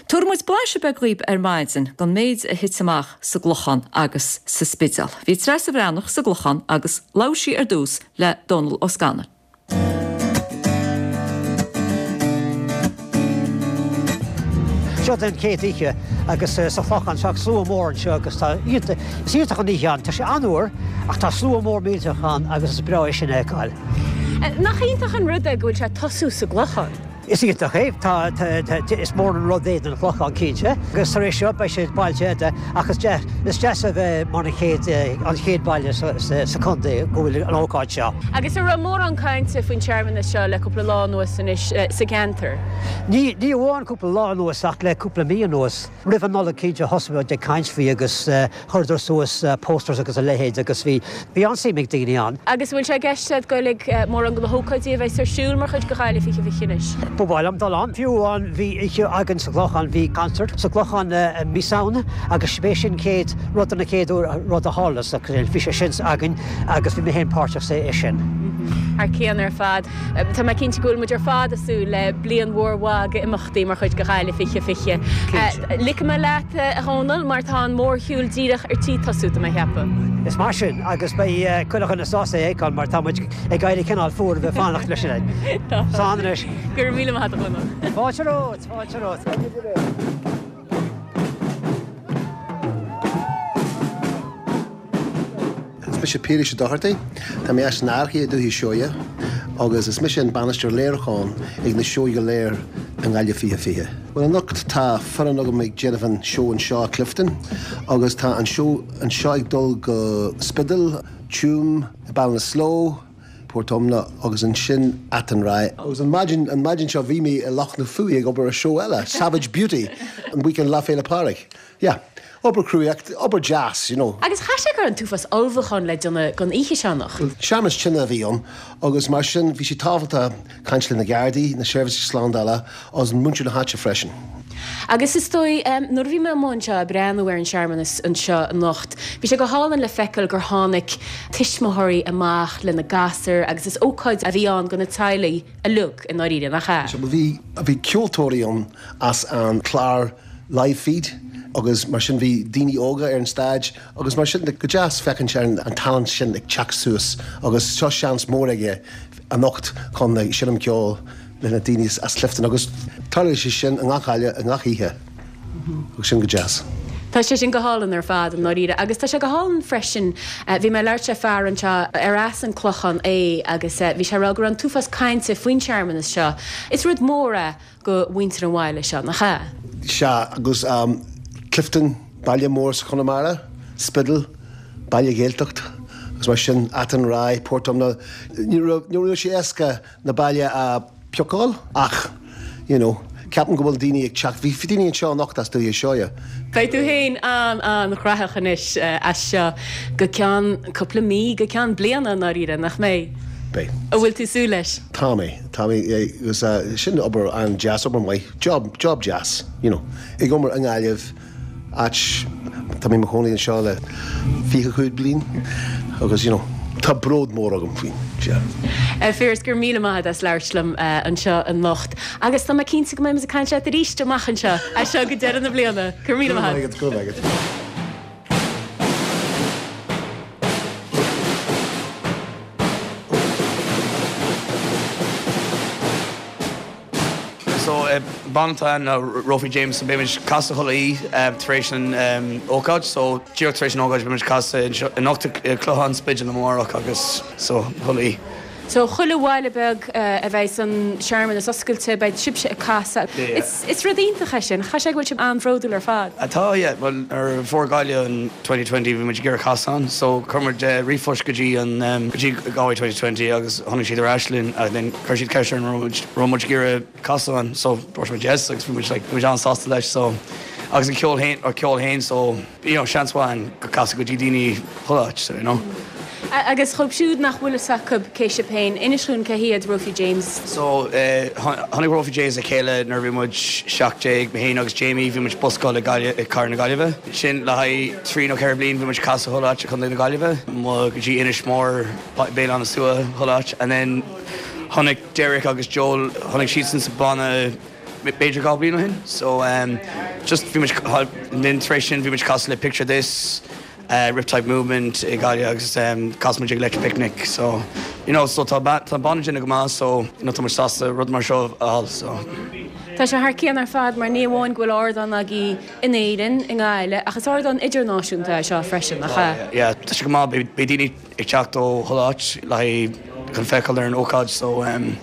Tabharfaidh muid blaiseadh beag dhaoib ar maidin den méid a thit amach sa gClochán agus sa Spidéal. Bhí Treasa Bhreathnach sa gClochán agus labhair sí ar dtús le Dónal Ó Scanaill. Seo den chéad oíche agus sa Chlochán tá slua mór anseo agus tá is iontach an oíche ann. Tá sé an-fhuar ach tá slua mór millteach ann agus is breá é sin a fheiceáil. Nach iontach an rud é go bhfuil sé ag tosú sa gClochán? Is iontach é, tá is mór an rud é don Chlochán cinnte, agus tar éis seo beidh sé bailte eile ach is is deas a bheith mar an chéad an chéad baile sa chontae go bhfuil an ócáid seo. Agus an raibh mórán cainte faoin searmanas seo le cúpla lá anuas anois sa gceantar? Ní ní amháin cúpla lá anuas ach le cúpla mí anuas. Roimh an Nollaig cinnte thosaigh muid ag caint faoi agus chuireadar suas posters agus a leithéid agus bhí bhí an-suim ag daoine ann. Agus bhfuil sé i gceist agat goil ag mórán de na hócáidí a bheas ar siúl mar chuid de Ghaillimh fiche fiche anois? Ba mhaith liom dul ann. Fiú amháin bhí oíche againn sa gClochán, bhí concert sa gClochán mí Samhna agus b'é sin chéad rud an chéad rud a tharla sa bhí sé sin againn agus bhí mé féin páirteach sa é sin. Thar cionn ar fad. Tá mé cinnte go bhfuil muid ar fad ag súil le bliain mhór mhaith d'imeachtaí mar chuid de Ghaillimh fiche fiche. Ligfidh mé leat, a Dhónaill, mar tá an mórshiúl díreach ar tí tosú, tá mé a cheapadh. Is mar sin, agus beidh chuile dhuine sásta é a fheiceáil mar tá muid ag éirí cineál fuar a bheith fanacht leis sin. Slán anois. Go raibh míle maith agat, a Dhónaill. Fáilte romhat, fáilte romhat. Is mise Piarais Ó Dochartaigh, tá mé as an Fhairche i Dúiche Seoighe agus is mise an bainisteoir léiriúcháin ag na seó go léir i nGaillimh fiche fiche. Well anocht tá foireann agam ag déanamh an seó anseo i Clifden agus tá an seó anseo ag dul go Spiddal, Tuam, Ballinasloe, Port Omna agus ansin Athenry. Agus an maidin an maidin seo bhí mé i Loch na Fuaí ag obair ar seó eile, Savage Beauty, an weekend Lá Féile Pádraig. Yeah. Obair cruaidh, obair deas, you know. Agus chaith sé go raibh an t-uafás ullmhúchán le déanamh don oíche seo anocht. Searmanas tine a bhí ann agus mar sin bhí sé tábhachtach caint le na Gardaí, na seirbhísí slándála agus muintir na háite freisin. Agus is dóigh, nuair a bhí mé amuigh anseo ag breathnú ar an searmanas anseo anocht, bhí sé go hálainn le feiceáil gur tháinig tuismitheoirí amach lena gasúir agus is ócáid a bhí ann do na teaghlaigh uilig i ndáiríre, nach ea? Bhí, bhí ceoltóirí ann as an clár Live Feed agus mar sin bhí daoine óga ar an stage agus mar sin go deas féachaint ar an talent sin ag teacht suas agus seo seans mór aige anocht chun seinm ceol le na daoine as Clifden agus tarlaíonn sé sin i ngach baile i ngach oíche agus sin go deas. Tá sé sin go hálainn ar fad i ndáiríre agus tá sé go hálainn freisin, bhí mé ag labhairt le fear anseo ar as an Clochán é agus bhí sé ag rá go raibh an t-uafás cainte faoin searmanas seo. Is rud mór é do mhuintir an bhaile seo, nach ea? Sea, agus Clifden, baile mór sa Chonamara, Spiddal, baile Ghaeltacht, agus mar sin, Athenry, Port Omna, ní raibh, ní raibh sé éasca na baile a phiocáil ach, you know, ceapaim go bhfuil daoine ag teacht, bhí daoine anseo anocht as Dúiche Seoighe. Beidh tú féin an-an-ghnóthach anois as seo go ceann cúpla mí, go ceann bliana i ndáiríre, nach mbeidh? Beidh. An bhfuil tú súil leis? Tá mé, tá mé, agus sin obair an-deas, obair maith, job, job deas, you know. Ag obair i nGaillimh, áit, tá mé i mo chónaí anseo le fiche cúig bliain agus, you know, tá bród mór agam faoin, yeah. Phiarais, go raibh míle maith agat as labhairt liom anseo anocht agus tá mé cinnte go mbeidh muid ag caint leat arís amach anseo, as seo go deireadh na bliana. Go raibh míle maith agat. Go raibh maith agat, go raibh maith agat. So banna atá ann ná Rofy Jameson, beidh muid ag casadh chuile oíche tar éis an ócáid, so díreach tar éis an ócáid beidh muid ag casadh anocht i Clochán Spidéal amárach agus so chuile oíche. So chuile bhaile beag a bheidh an searmanas oscailte beidh sibhse ag casadh. Is is rud iontach é sin, chaithfeadh sé go bhfuil sibh an-bhródúil ar fad. Atá yeah, well ar fuair Gaillimh an twenty twenty bhí muid ag iarraidh casadh ann so chuir muid ríomhphost go dtí an go dtí Galway twenty twenty agus tháinig siad ar ais linn and then chuir siad ceist orainn an raibh muid raibh muid ag iarraidh casadh ann so dúirt muid yes agus bhí muid like bhí muid an-sásta leis so agus an ceol féin an ceol féin so you know seans mhaith ann go casadh go dtí daoine chuile áit so you know. Agus dhóibh siúd nach bhfuil fhios acu cé sibh féin, inis dhúinn cé hiad Rofi James. So tháinig Rofi James le chéile nuair a bhí muid seacht déag, mé féin agus Jamie, bhí muid buscáil i Gaillimh, i Cathair na Gaillimhe. Sin le haghaidh trí nó ceithre bliain bhí muid casadh chuile áit i Contae na Gaillimhe, mo go dtí Inis Mór, Béal Átha na Sluaighe, chuile áit. And then tháinig Derek agus Joel, tháinig siadsan sa banna b'fhéidir dhá bliain ó shin. So just bhí muid, and then tar éis sin bhí muid casadh le Picture This, Riptide Movement i Gaillimh agus chas muid ag Electric Picnic so you know so tá tá an banna déanamh go maith so you know tá muid sásta rud mar seo a fháil so. Tá sé thar cionn ar fad mar ní amháin go bhfuil ardán agaibh in Éirinn, i nGaillimh, ach is ardán idirnáisiúnta é seo freisin, nach ea? Yeah, tá sé go maith, beidh daoine ag teacht ó chuile áit le haghaidh chun feiceáil ar an ócáid so um,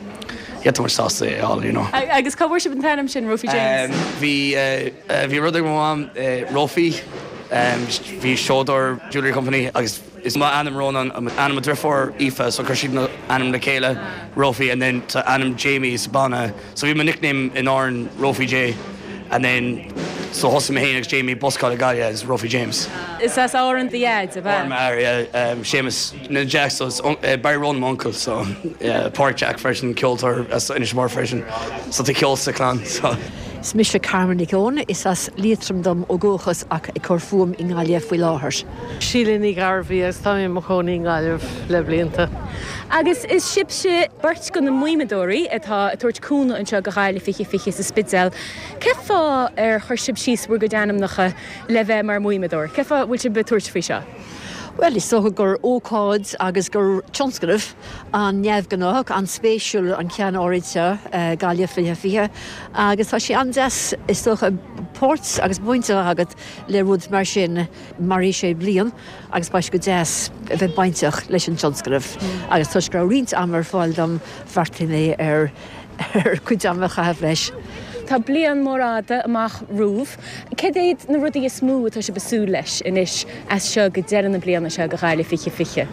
yeah, tá muid sásta é a fháil, you know. Agus cá bhfuair sibh an t-ainm sin, Rofi James? Um, bhí uh, bhí rud ag mo mham uh, Rofi, um, bhí seodóir jewellery company agus is mo ainm Ronan, ainm mo deirfiúr Aoife, so chuir siad na ainm le chéile Rofi and then tá ainm Jamie sa banna. So bhí mo nickname in Árainn Rofi J and then so thosaigh mé féin agus Jamie buscáil i Gaillimh as Rofi James. Is as Árainn do dhaid, ab ea? Árainn m'athair, yeah, um, Séamus na Jack, so it's uh, Barry Ronan my uncle, so yeah, Pádraig Jack freisin, ceoltóir as Inis Mór freisin, so tá ceol sa chlann, so. Is mise Carmen Nic Eoin, is as Liatroim dom ó dhúchas ach ag cur fúm i nGaillimh faoi láthair. Síle Ní Ghairbhí agus tá mé i mo chónaí i nGaillimh le blianta. Agus is sibhse beirt de na mimeadóirí atá ag tabhairt cúnamh anseo go Gaillimh fiche fiche sa Spidéal. Cé fáth ar chuir sibh síos bhur gcuid ainmneacha le bheith mar mhimeadóir? Cé fáth bhfuil sibh ag tabhairt faoi seo? Well, is dócha gur ócáid agus gur tionscnamh an-neamhghnách, an-spéisiúil an ceann áirid seo, Gaillimh fiche fiche, agus tá sé an-deas is dócha páirt agus baint a bheith agat le rud mar sin. Mairfidh sé bliain agus beidh sé go deas a bheith bainteach leis an tionscnamh. Agus toisc go raibh roinnt ama ar fáil dom, bheartaigh mé ar ar cuid ama a chaitheamh leis. Tá bliain mór fhada amach romhaibh. Cad iad na rudaí is mó atá sibh ag súil leis anois as seo go deireadh na bliana seo go Gaillimh fiche fiche?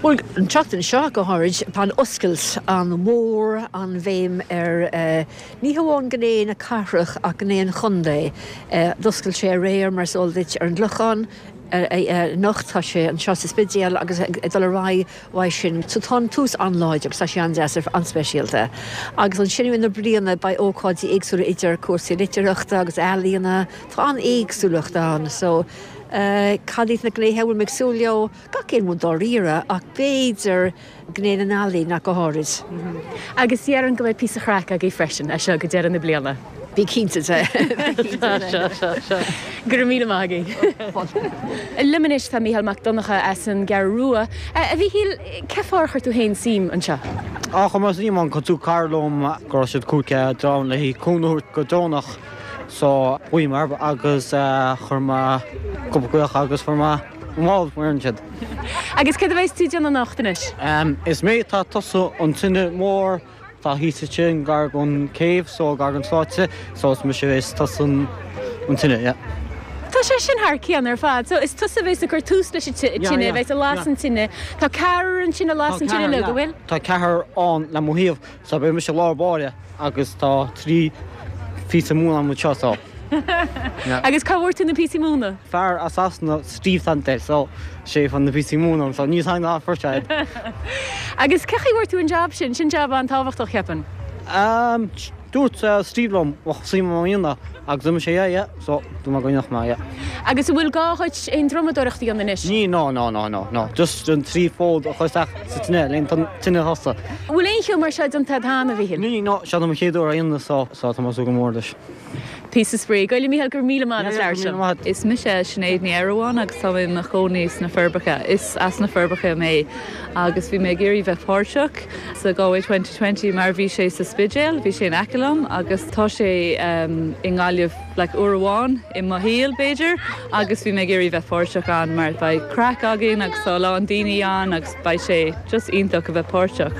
Bhuel, an tseachtain seo go háirid, tá an oscailt an-mhór, an-bhéim ar ní hamháin gné na cathrach ach gné an chontae. D'oscail sé aréir, mar is eol duit, ar an gClochán. Anocht tá sé anseo sa Spidéal agus ag dul ar aghaidh uaidh sin. So tá an tús an-láidir agus tá sé an-deas, an-speisialta. Agus ansin i rith na bliana beidh ócáidí éagsúla idir cúrsaí litearthachta agus ealaíona. Tá an-éagsúlacht ann. So cad iad na gnéithe a bhfuil mé ag súil leo? Gach aon rud dáiríre ach b'fhéidir gné na n-ealaíon ach go háirid. Agus déarfainn go mbeidh píosa craic agaibh freisin as seo go deireadh na bliana. Bí cinnte de. Go raibh míle maith agaibh. Liom anois tá Mícheál Mac Donncha as an gCeathrú Rua. A Mhíchíl, cé fáth ar chuir tú féin suim anseo? Á, chuir mé suim ann cos dúirt cara liom go raibh siad cúig dream le cúnamh a thabhairt go deonach so ghlaoigh mé orthu agus chuir mé cúpla glaoch agus fuair mé an mar siad. Agus céard a bheas tú ag déanamh anocht anois? Is mé atá ag tosú an tine mór Tá thíos ansin gar don céibh so gar don stáitse so is mise a bheas ag tosú an tine, yeah. Tá sé sin thar cionn ar fad. So is tusa a bheas ag cur tús leis an tine, a bheas ag lasadh an tine. Tá ceathrar ansin ag lasadh an tine leo, go bhfuil? Tá ceathrar ann le mo thaobh so beidh mise i lár báire agus tá trí phíosa móna agam anseo so. Agus cá bhfuair tú na píosaí móna? Fear as Sasana, Steve Sante, so sé a fuair na píosaí móna dom, so níl a fhios agam cá fuair sé iad. Agus cé chaoi a bhfuair tú an jab sin? Sin jab an-tábhachtach, cheapfainn. Um, dúirt Steve liom, bheadh suim agam a dhéanamh, agus dúirt mise yeah, yeah, so dúirt mé go ndéanfadh mé, yeah. Agus an bhfuil gá dhuit aon drumadóireacht a dhéanamh anois? Ní, no, no, no, no, no, just an trí fód a chur isteach sa tine, le an tine a thosú. An bhfuil aon cheo mar seo déanta agat cheana, a Mhíchíl? Ní, no, seo mo chéad uair á dhéanamh so, so tá mé ag súil go mór leis. Píosa spraoi. Go raibh Mícheál, go raibh míle maith as labhairt liom. Is mise Sinéad Ní Eireamhóin agus tá mé i mo chónaí sna Forbacha. Is as na Forbacha mé agus bhí mé ag iarraidh bheith páirteach sa Galway twenty twenty mar bhí sé sa Spidéal, bhí sé in aice liom agus tá sé i nGaillimh like uair amháin i mo shaol b'fhéidir agus bhí mé ag iarraidh bheith páirteach ann mar beidh craic againn agus tá a lán daoine ann agus beidh sé just iontach a bheith páirteach.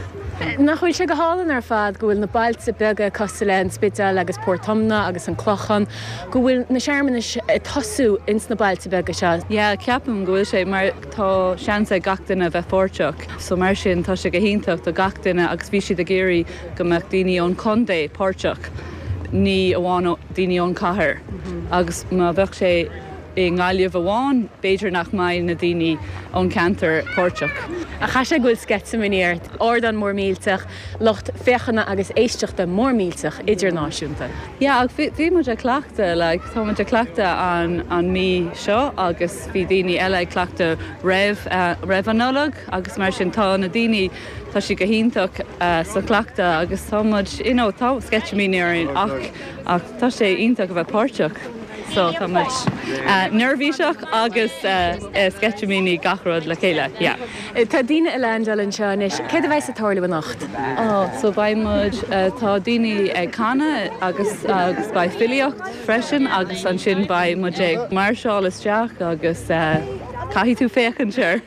Nach bhfuil sé go hálainn ar fad go bhfuil na bailte beaga cosúil le an Spidéal agus Port Omna agus an Clochán, go bhfuil na searmanais ag tosú ins na bailte beaga seo. Yeah, ceapaim go bhfuil sé mar tá seans ag gach duine bheith páirteach. So mar sin tá sé go hiontach do gach duine agus bhí siad ag iarraidh go mbeadh daoine ón chontae páirteach, ní amháin daoine ón cathair. Agus má bheadh sé i nGaillimh amháin, b'fhéidir nach mbeidh na daoine ón ceantar páirteach. Ach chaithfeadh sé go bhfuil sceitimíní ort, ardán mór millteach, lucht féachana agus éisteachta mór millteach idirnáisiúnta. Yeah, ach bhí muid ag cleachtadh, like, tá muid ag cleachtadh an, an mí seo agus bhí daoine eile ag cleachtadh roimh, uh, roimh an Nollaig agus mar sin tá na daoine tá siad go hiontach uh, sa chleachtadh agus tá muid, you know, tá sceitimíní orainn ach, ach tá sé iontach a bheith páirteach. So tá muid uh, neirbhíseach agus uh, uh, sceitimíní gach rud le chéile. Yeah. Tá daoine ag landáil anseo anois, céard a bheas ag tarlú anocht? Oh, so beidh muid uh, tá daoine ag canadh agus agus beidh filíocht freisin agus ansin beidh muid ag máirseáil isteach agus uh, caithfidh tú féachaint air.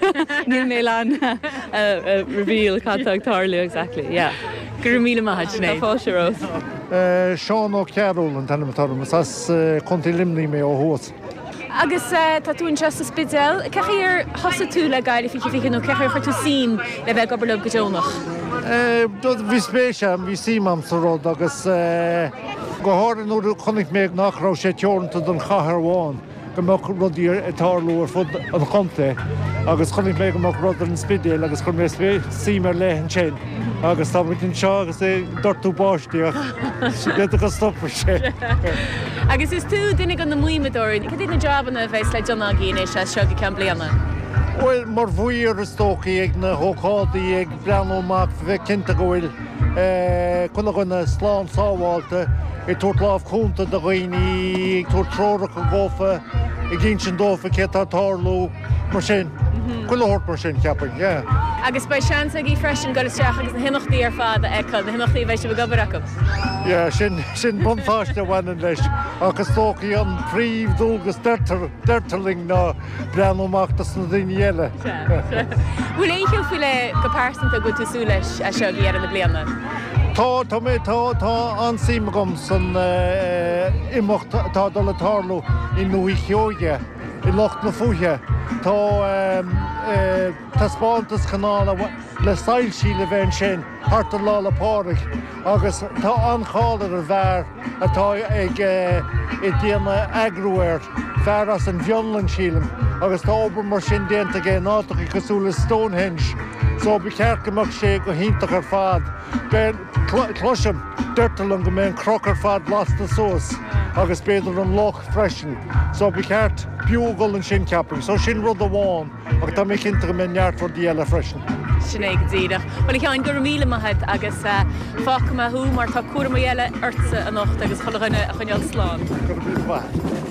Níl mé le uh, reveal cad tá ag tarlú exactly. Yeah. Go raibh míle maith Tá fáilte romhat. Seán Ó Cearúil an t-ainm atá orm, is as Contae Luimnigh mé ó thuas. Agus tá tú anseo sa Spidéal, cén chaoi ar thosaigh tú le Gaillimh fiche fiche nó cén chaoi ar chuir tú suim le bheith ag obair leo go deonach? Bhí spéis agam, bhí suim agam sa rud agus go háirithe nuair a chonaic mé nach raibh sé teoranta don chathair amháin, go mbeadh rudaí ag tarlú ar fud an chontae agus chonaic mé go mbeadh rud ar an Spidéal agus chuir mé suim ar leith ansin agus tá muid anseo agus é ag doirteadh báistí ach b'fhéidir go stopfaidh sé. Agus is tú duine de na maoinitheoirí, cad iad na jabanna a bheas le déanamh agaibh anois as seo go ceann bliana? Bhuel, mar mhaor is dócha ag na hócáidí ag breathnú amach bheith cinnte go bhfuil chuile dhuine slán sábháilte, ag tabhairt lámh chúnta do dhaoine, ag tabhairt treoracha dófa, ag insint dófa céard atá ag tarlú, mar sin. Chuile shórt mar sin, cheapfainn, yeah. Agus beidh seans agaibh freisin dul isteach agus na himeachtaí ar fad a fheiceáil, na himeachtaí a bheidh sibh ag obair acu. Yeah, sin, sin buntáiste a bhaineann leis, ach is dócha an príomhdhualgas deirtear, deirtear linn ná breathnú amach dos na daoine eile. Bhfuil aon cheo faoi leith go pearsanta go bhfuil tú ag súil leis as seo go deireadh na bliana? Tá, tá mé, tá, tá an-suim agam san imeacht atá ag dul ag tarlú i nDúiche Sheoighe, i Loch na Fúiche. Tá taispeántas cineál le soilsí le bheith ansin thart ar Lá 'le Pádraig agus tá an-cháil ar an bhfear atá ag ag déanamh eagrú air, fear as an bhFionlainn sílim, agus tá obair mar sin déanta aige in áiteacha cosúil le Stonehenge, so ba cheart go mbeadh sé go hiontach ar fad. Beidh, cloisim, deirtear liom go mbeidh an cnoc ar fad lasta suas agus b'fhéidir an loch freisin, so ba cheart b'fhiú a dhul ansin ceapaim. So sin rud amháin ach tá mé cinnte go mbeidh neart rudaí eile freisin. Sin é go díreach. Bhuel a Sheáin, go raibh míle maith agat agus fágfaidh mé thú mar tá cúramaí eile ortsa anocht agus chuile dhuine a choinneáil slán. Go raibh míle maith agat.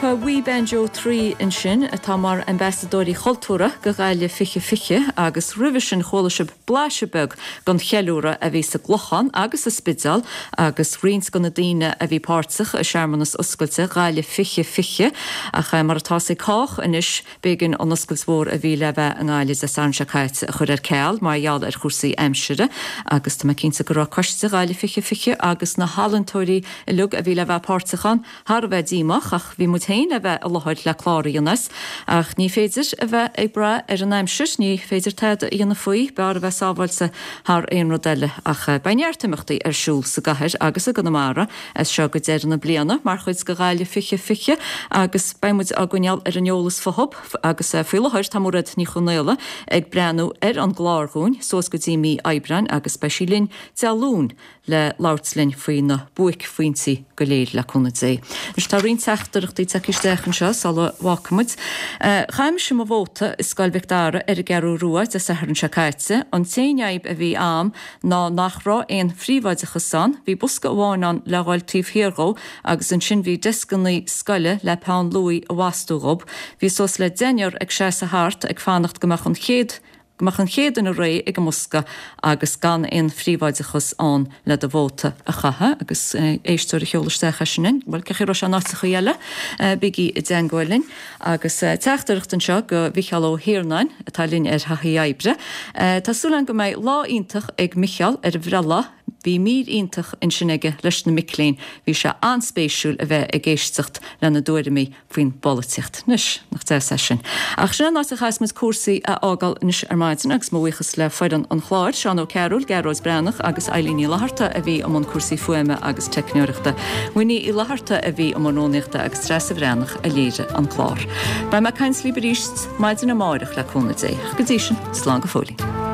Grúpa We Banjo Three ansin atá mar ambasadóirí cultúrtha do Ghaillimh fiche fiche agus roimhe sin chuala sibh blaiseadh beag den cheiliúradh a bhí sa gClochán agus sa Spidéal agus roinnt de na daoine a bhí páirteach i searmanas oscailte Ghaillimh fiche fiche ach mar atá ag cách anois b'éigean an oscailt mhór a bhí le bheith i nGaillimh Dé Sathairn seo caite a chur ar ceal mar gheall ar chúrsaí aimsire agus tá mé cinnte go raibh coiste Ghaillimh fiche fiche agus na healaíontóirí uilig a bhí le bheith páirteach ann thar a bheith díomách ach bhí muid féin le bheith i láthair le clár a dhéanamh as ach ní féidir a bheith ag brath ar an aimsir, ní féidir tada a dhéanamh faoi, b'fhearr a bheith sábháilte thar aon rud eile ach beidh neart imeachtaí ar siúl sa gcathair agus i gConamara as seo go deireadh na bliana mar chuid de Ghaillimh fiche fiche agus beidh muid á gcoinneáil ar an eolas fúthu agus faoi láthair tá Mairéad Ní Chonaola ag breathnú ar an gclár dúinn suas go dtí mí Aibreáin agus beidh sí linn Dé Luain le labhairt linn faoi na buaicphointí go léir le cúnamh Dé. Anois tá roinnt teachtaireachtaí tagtha isteach anseo sula bhfágfaimid. Chaith mise mo vóta i Scoil Mhic Dara ar an gCeathrú Rua Dé Sathairn seo caite. An t-aon fhadhb a bhí a'm ná nach raibh aon phríobháideachas ann, bhí bosca amháin ann le dhul taobh thiar dhó agus ansin bhí deascanna scoile le peann luaidhe a bhastú dhób. Bhí suas le deichniúr ag seasamh thart ag fanacht go mbeadh an chéad go mbeadh an chéad duine réidh ag an mbosca agus gan aon phríobháideachas ann le do vóta a chaitheamh agus éisteoir a sheol isteach é sin bhuel cén chaoi a raibh sé in áiteachaí eile bígí i dteangmháil linn agus teachtaireacht anseo go Mhicheál Ó hIarnáin atá linn ar thaithí oibre. Tá súil agam go mbeidh lá iontach ag Micheál ar a bhreithlá. Bhí mír iontach ansin aige leis na mic léinn. Bhí sé an-spéisiúil a bheith ag éisteacht lena dtuairimí faoin bpolaitíocht. Anois, nach deas é sin. Ach sin an áit a chaithfeas muid cúrsaí a fhágáil anois ar maidin agus mo bhuíochas le foireann an chláir, Seán Ó Cearúil, Gearóid Breathnach agus Eilín Ní Fhlatharta a bhí i mbun cúrsaí fuaime agus teicneoireachta. Winnie Uí Fhlatharta a bhí i mbun rúnaíochta agus Treasa Bhreathnach a léirigh an clár. Beidh mé ag caint libh arís maidin amárach le cúnamh Dé. Go dtí sin, slán go fóillín.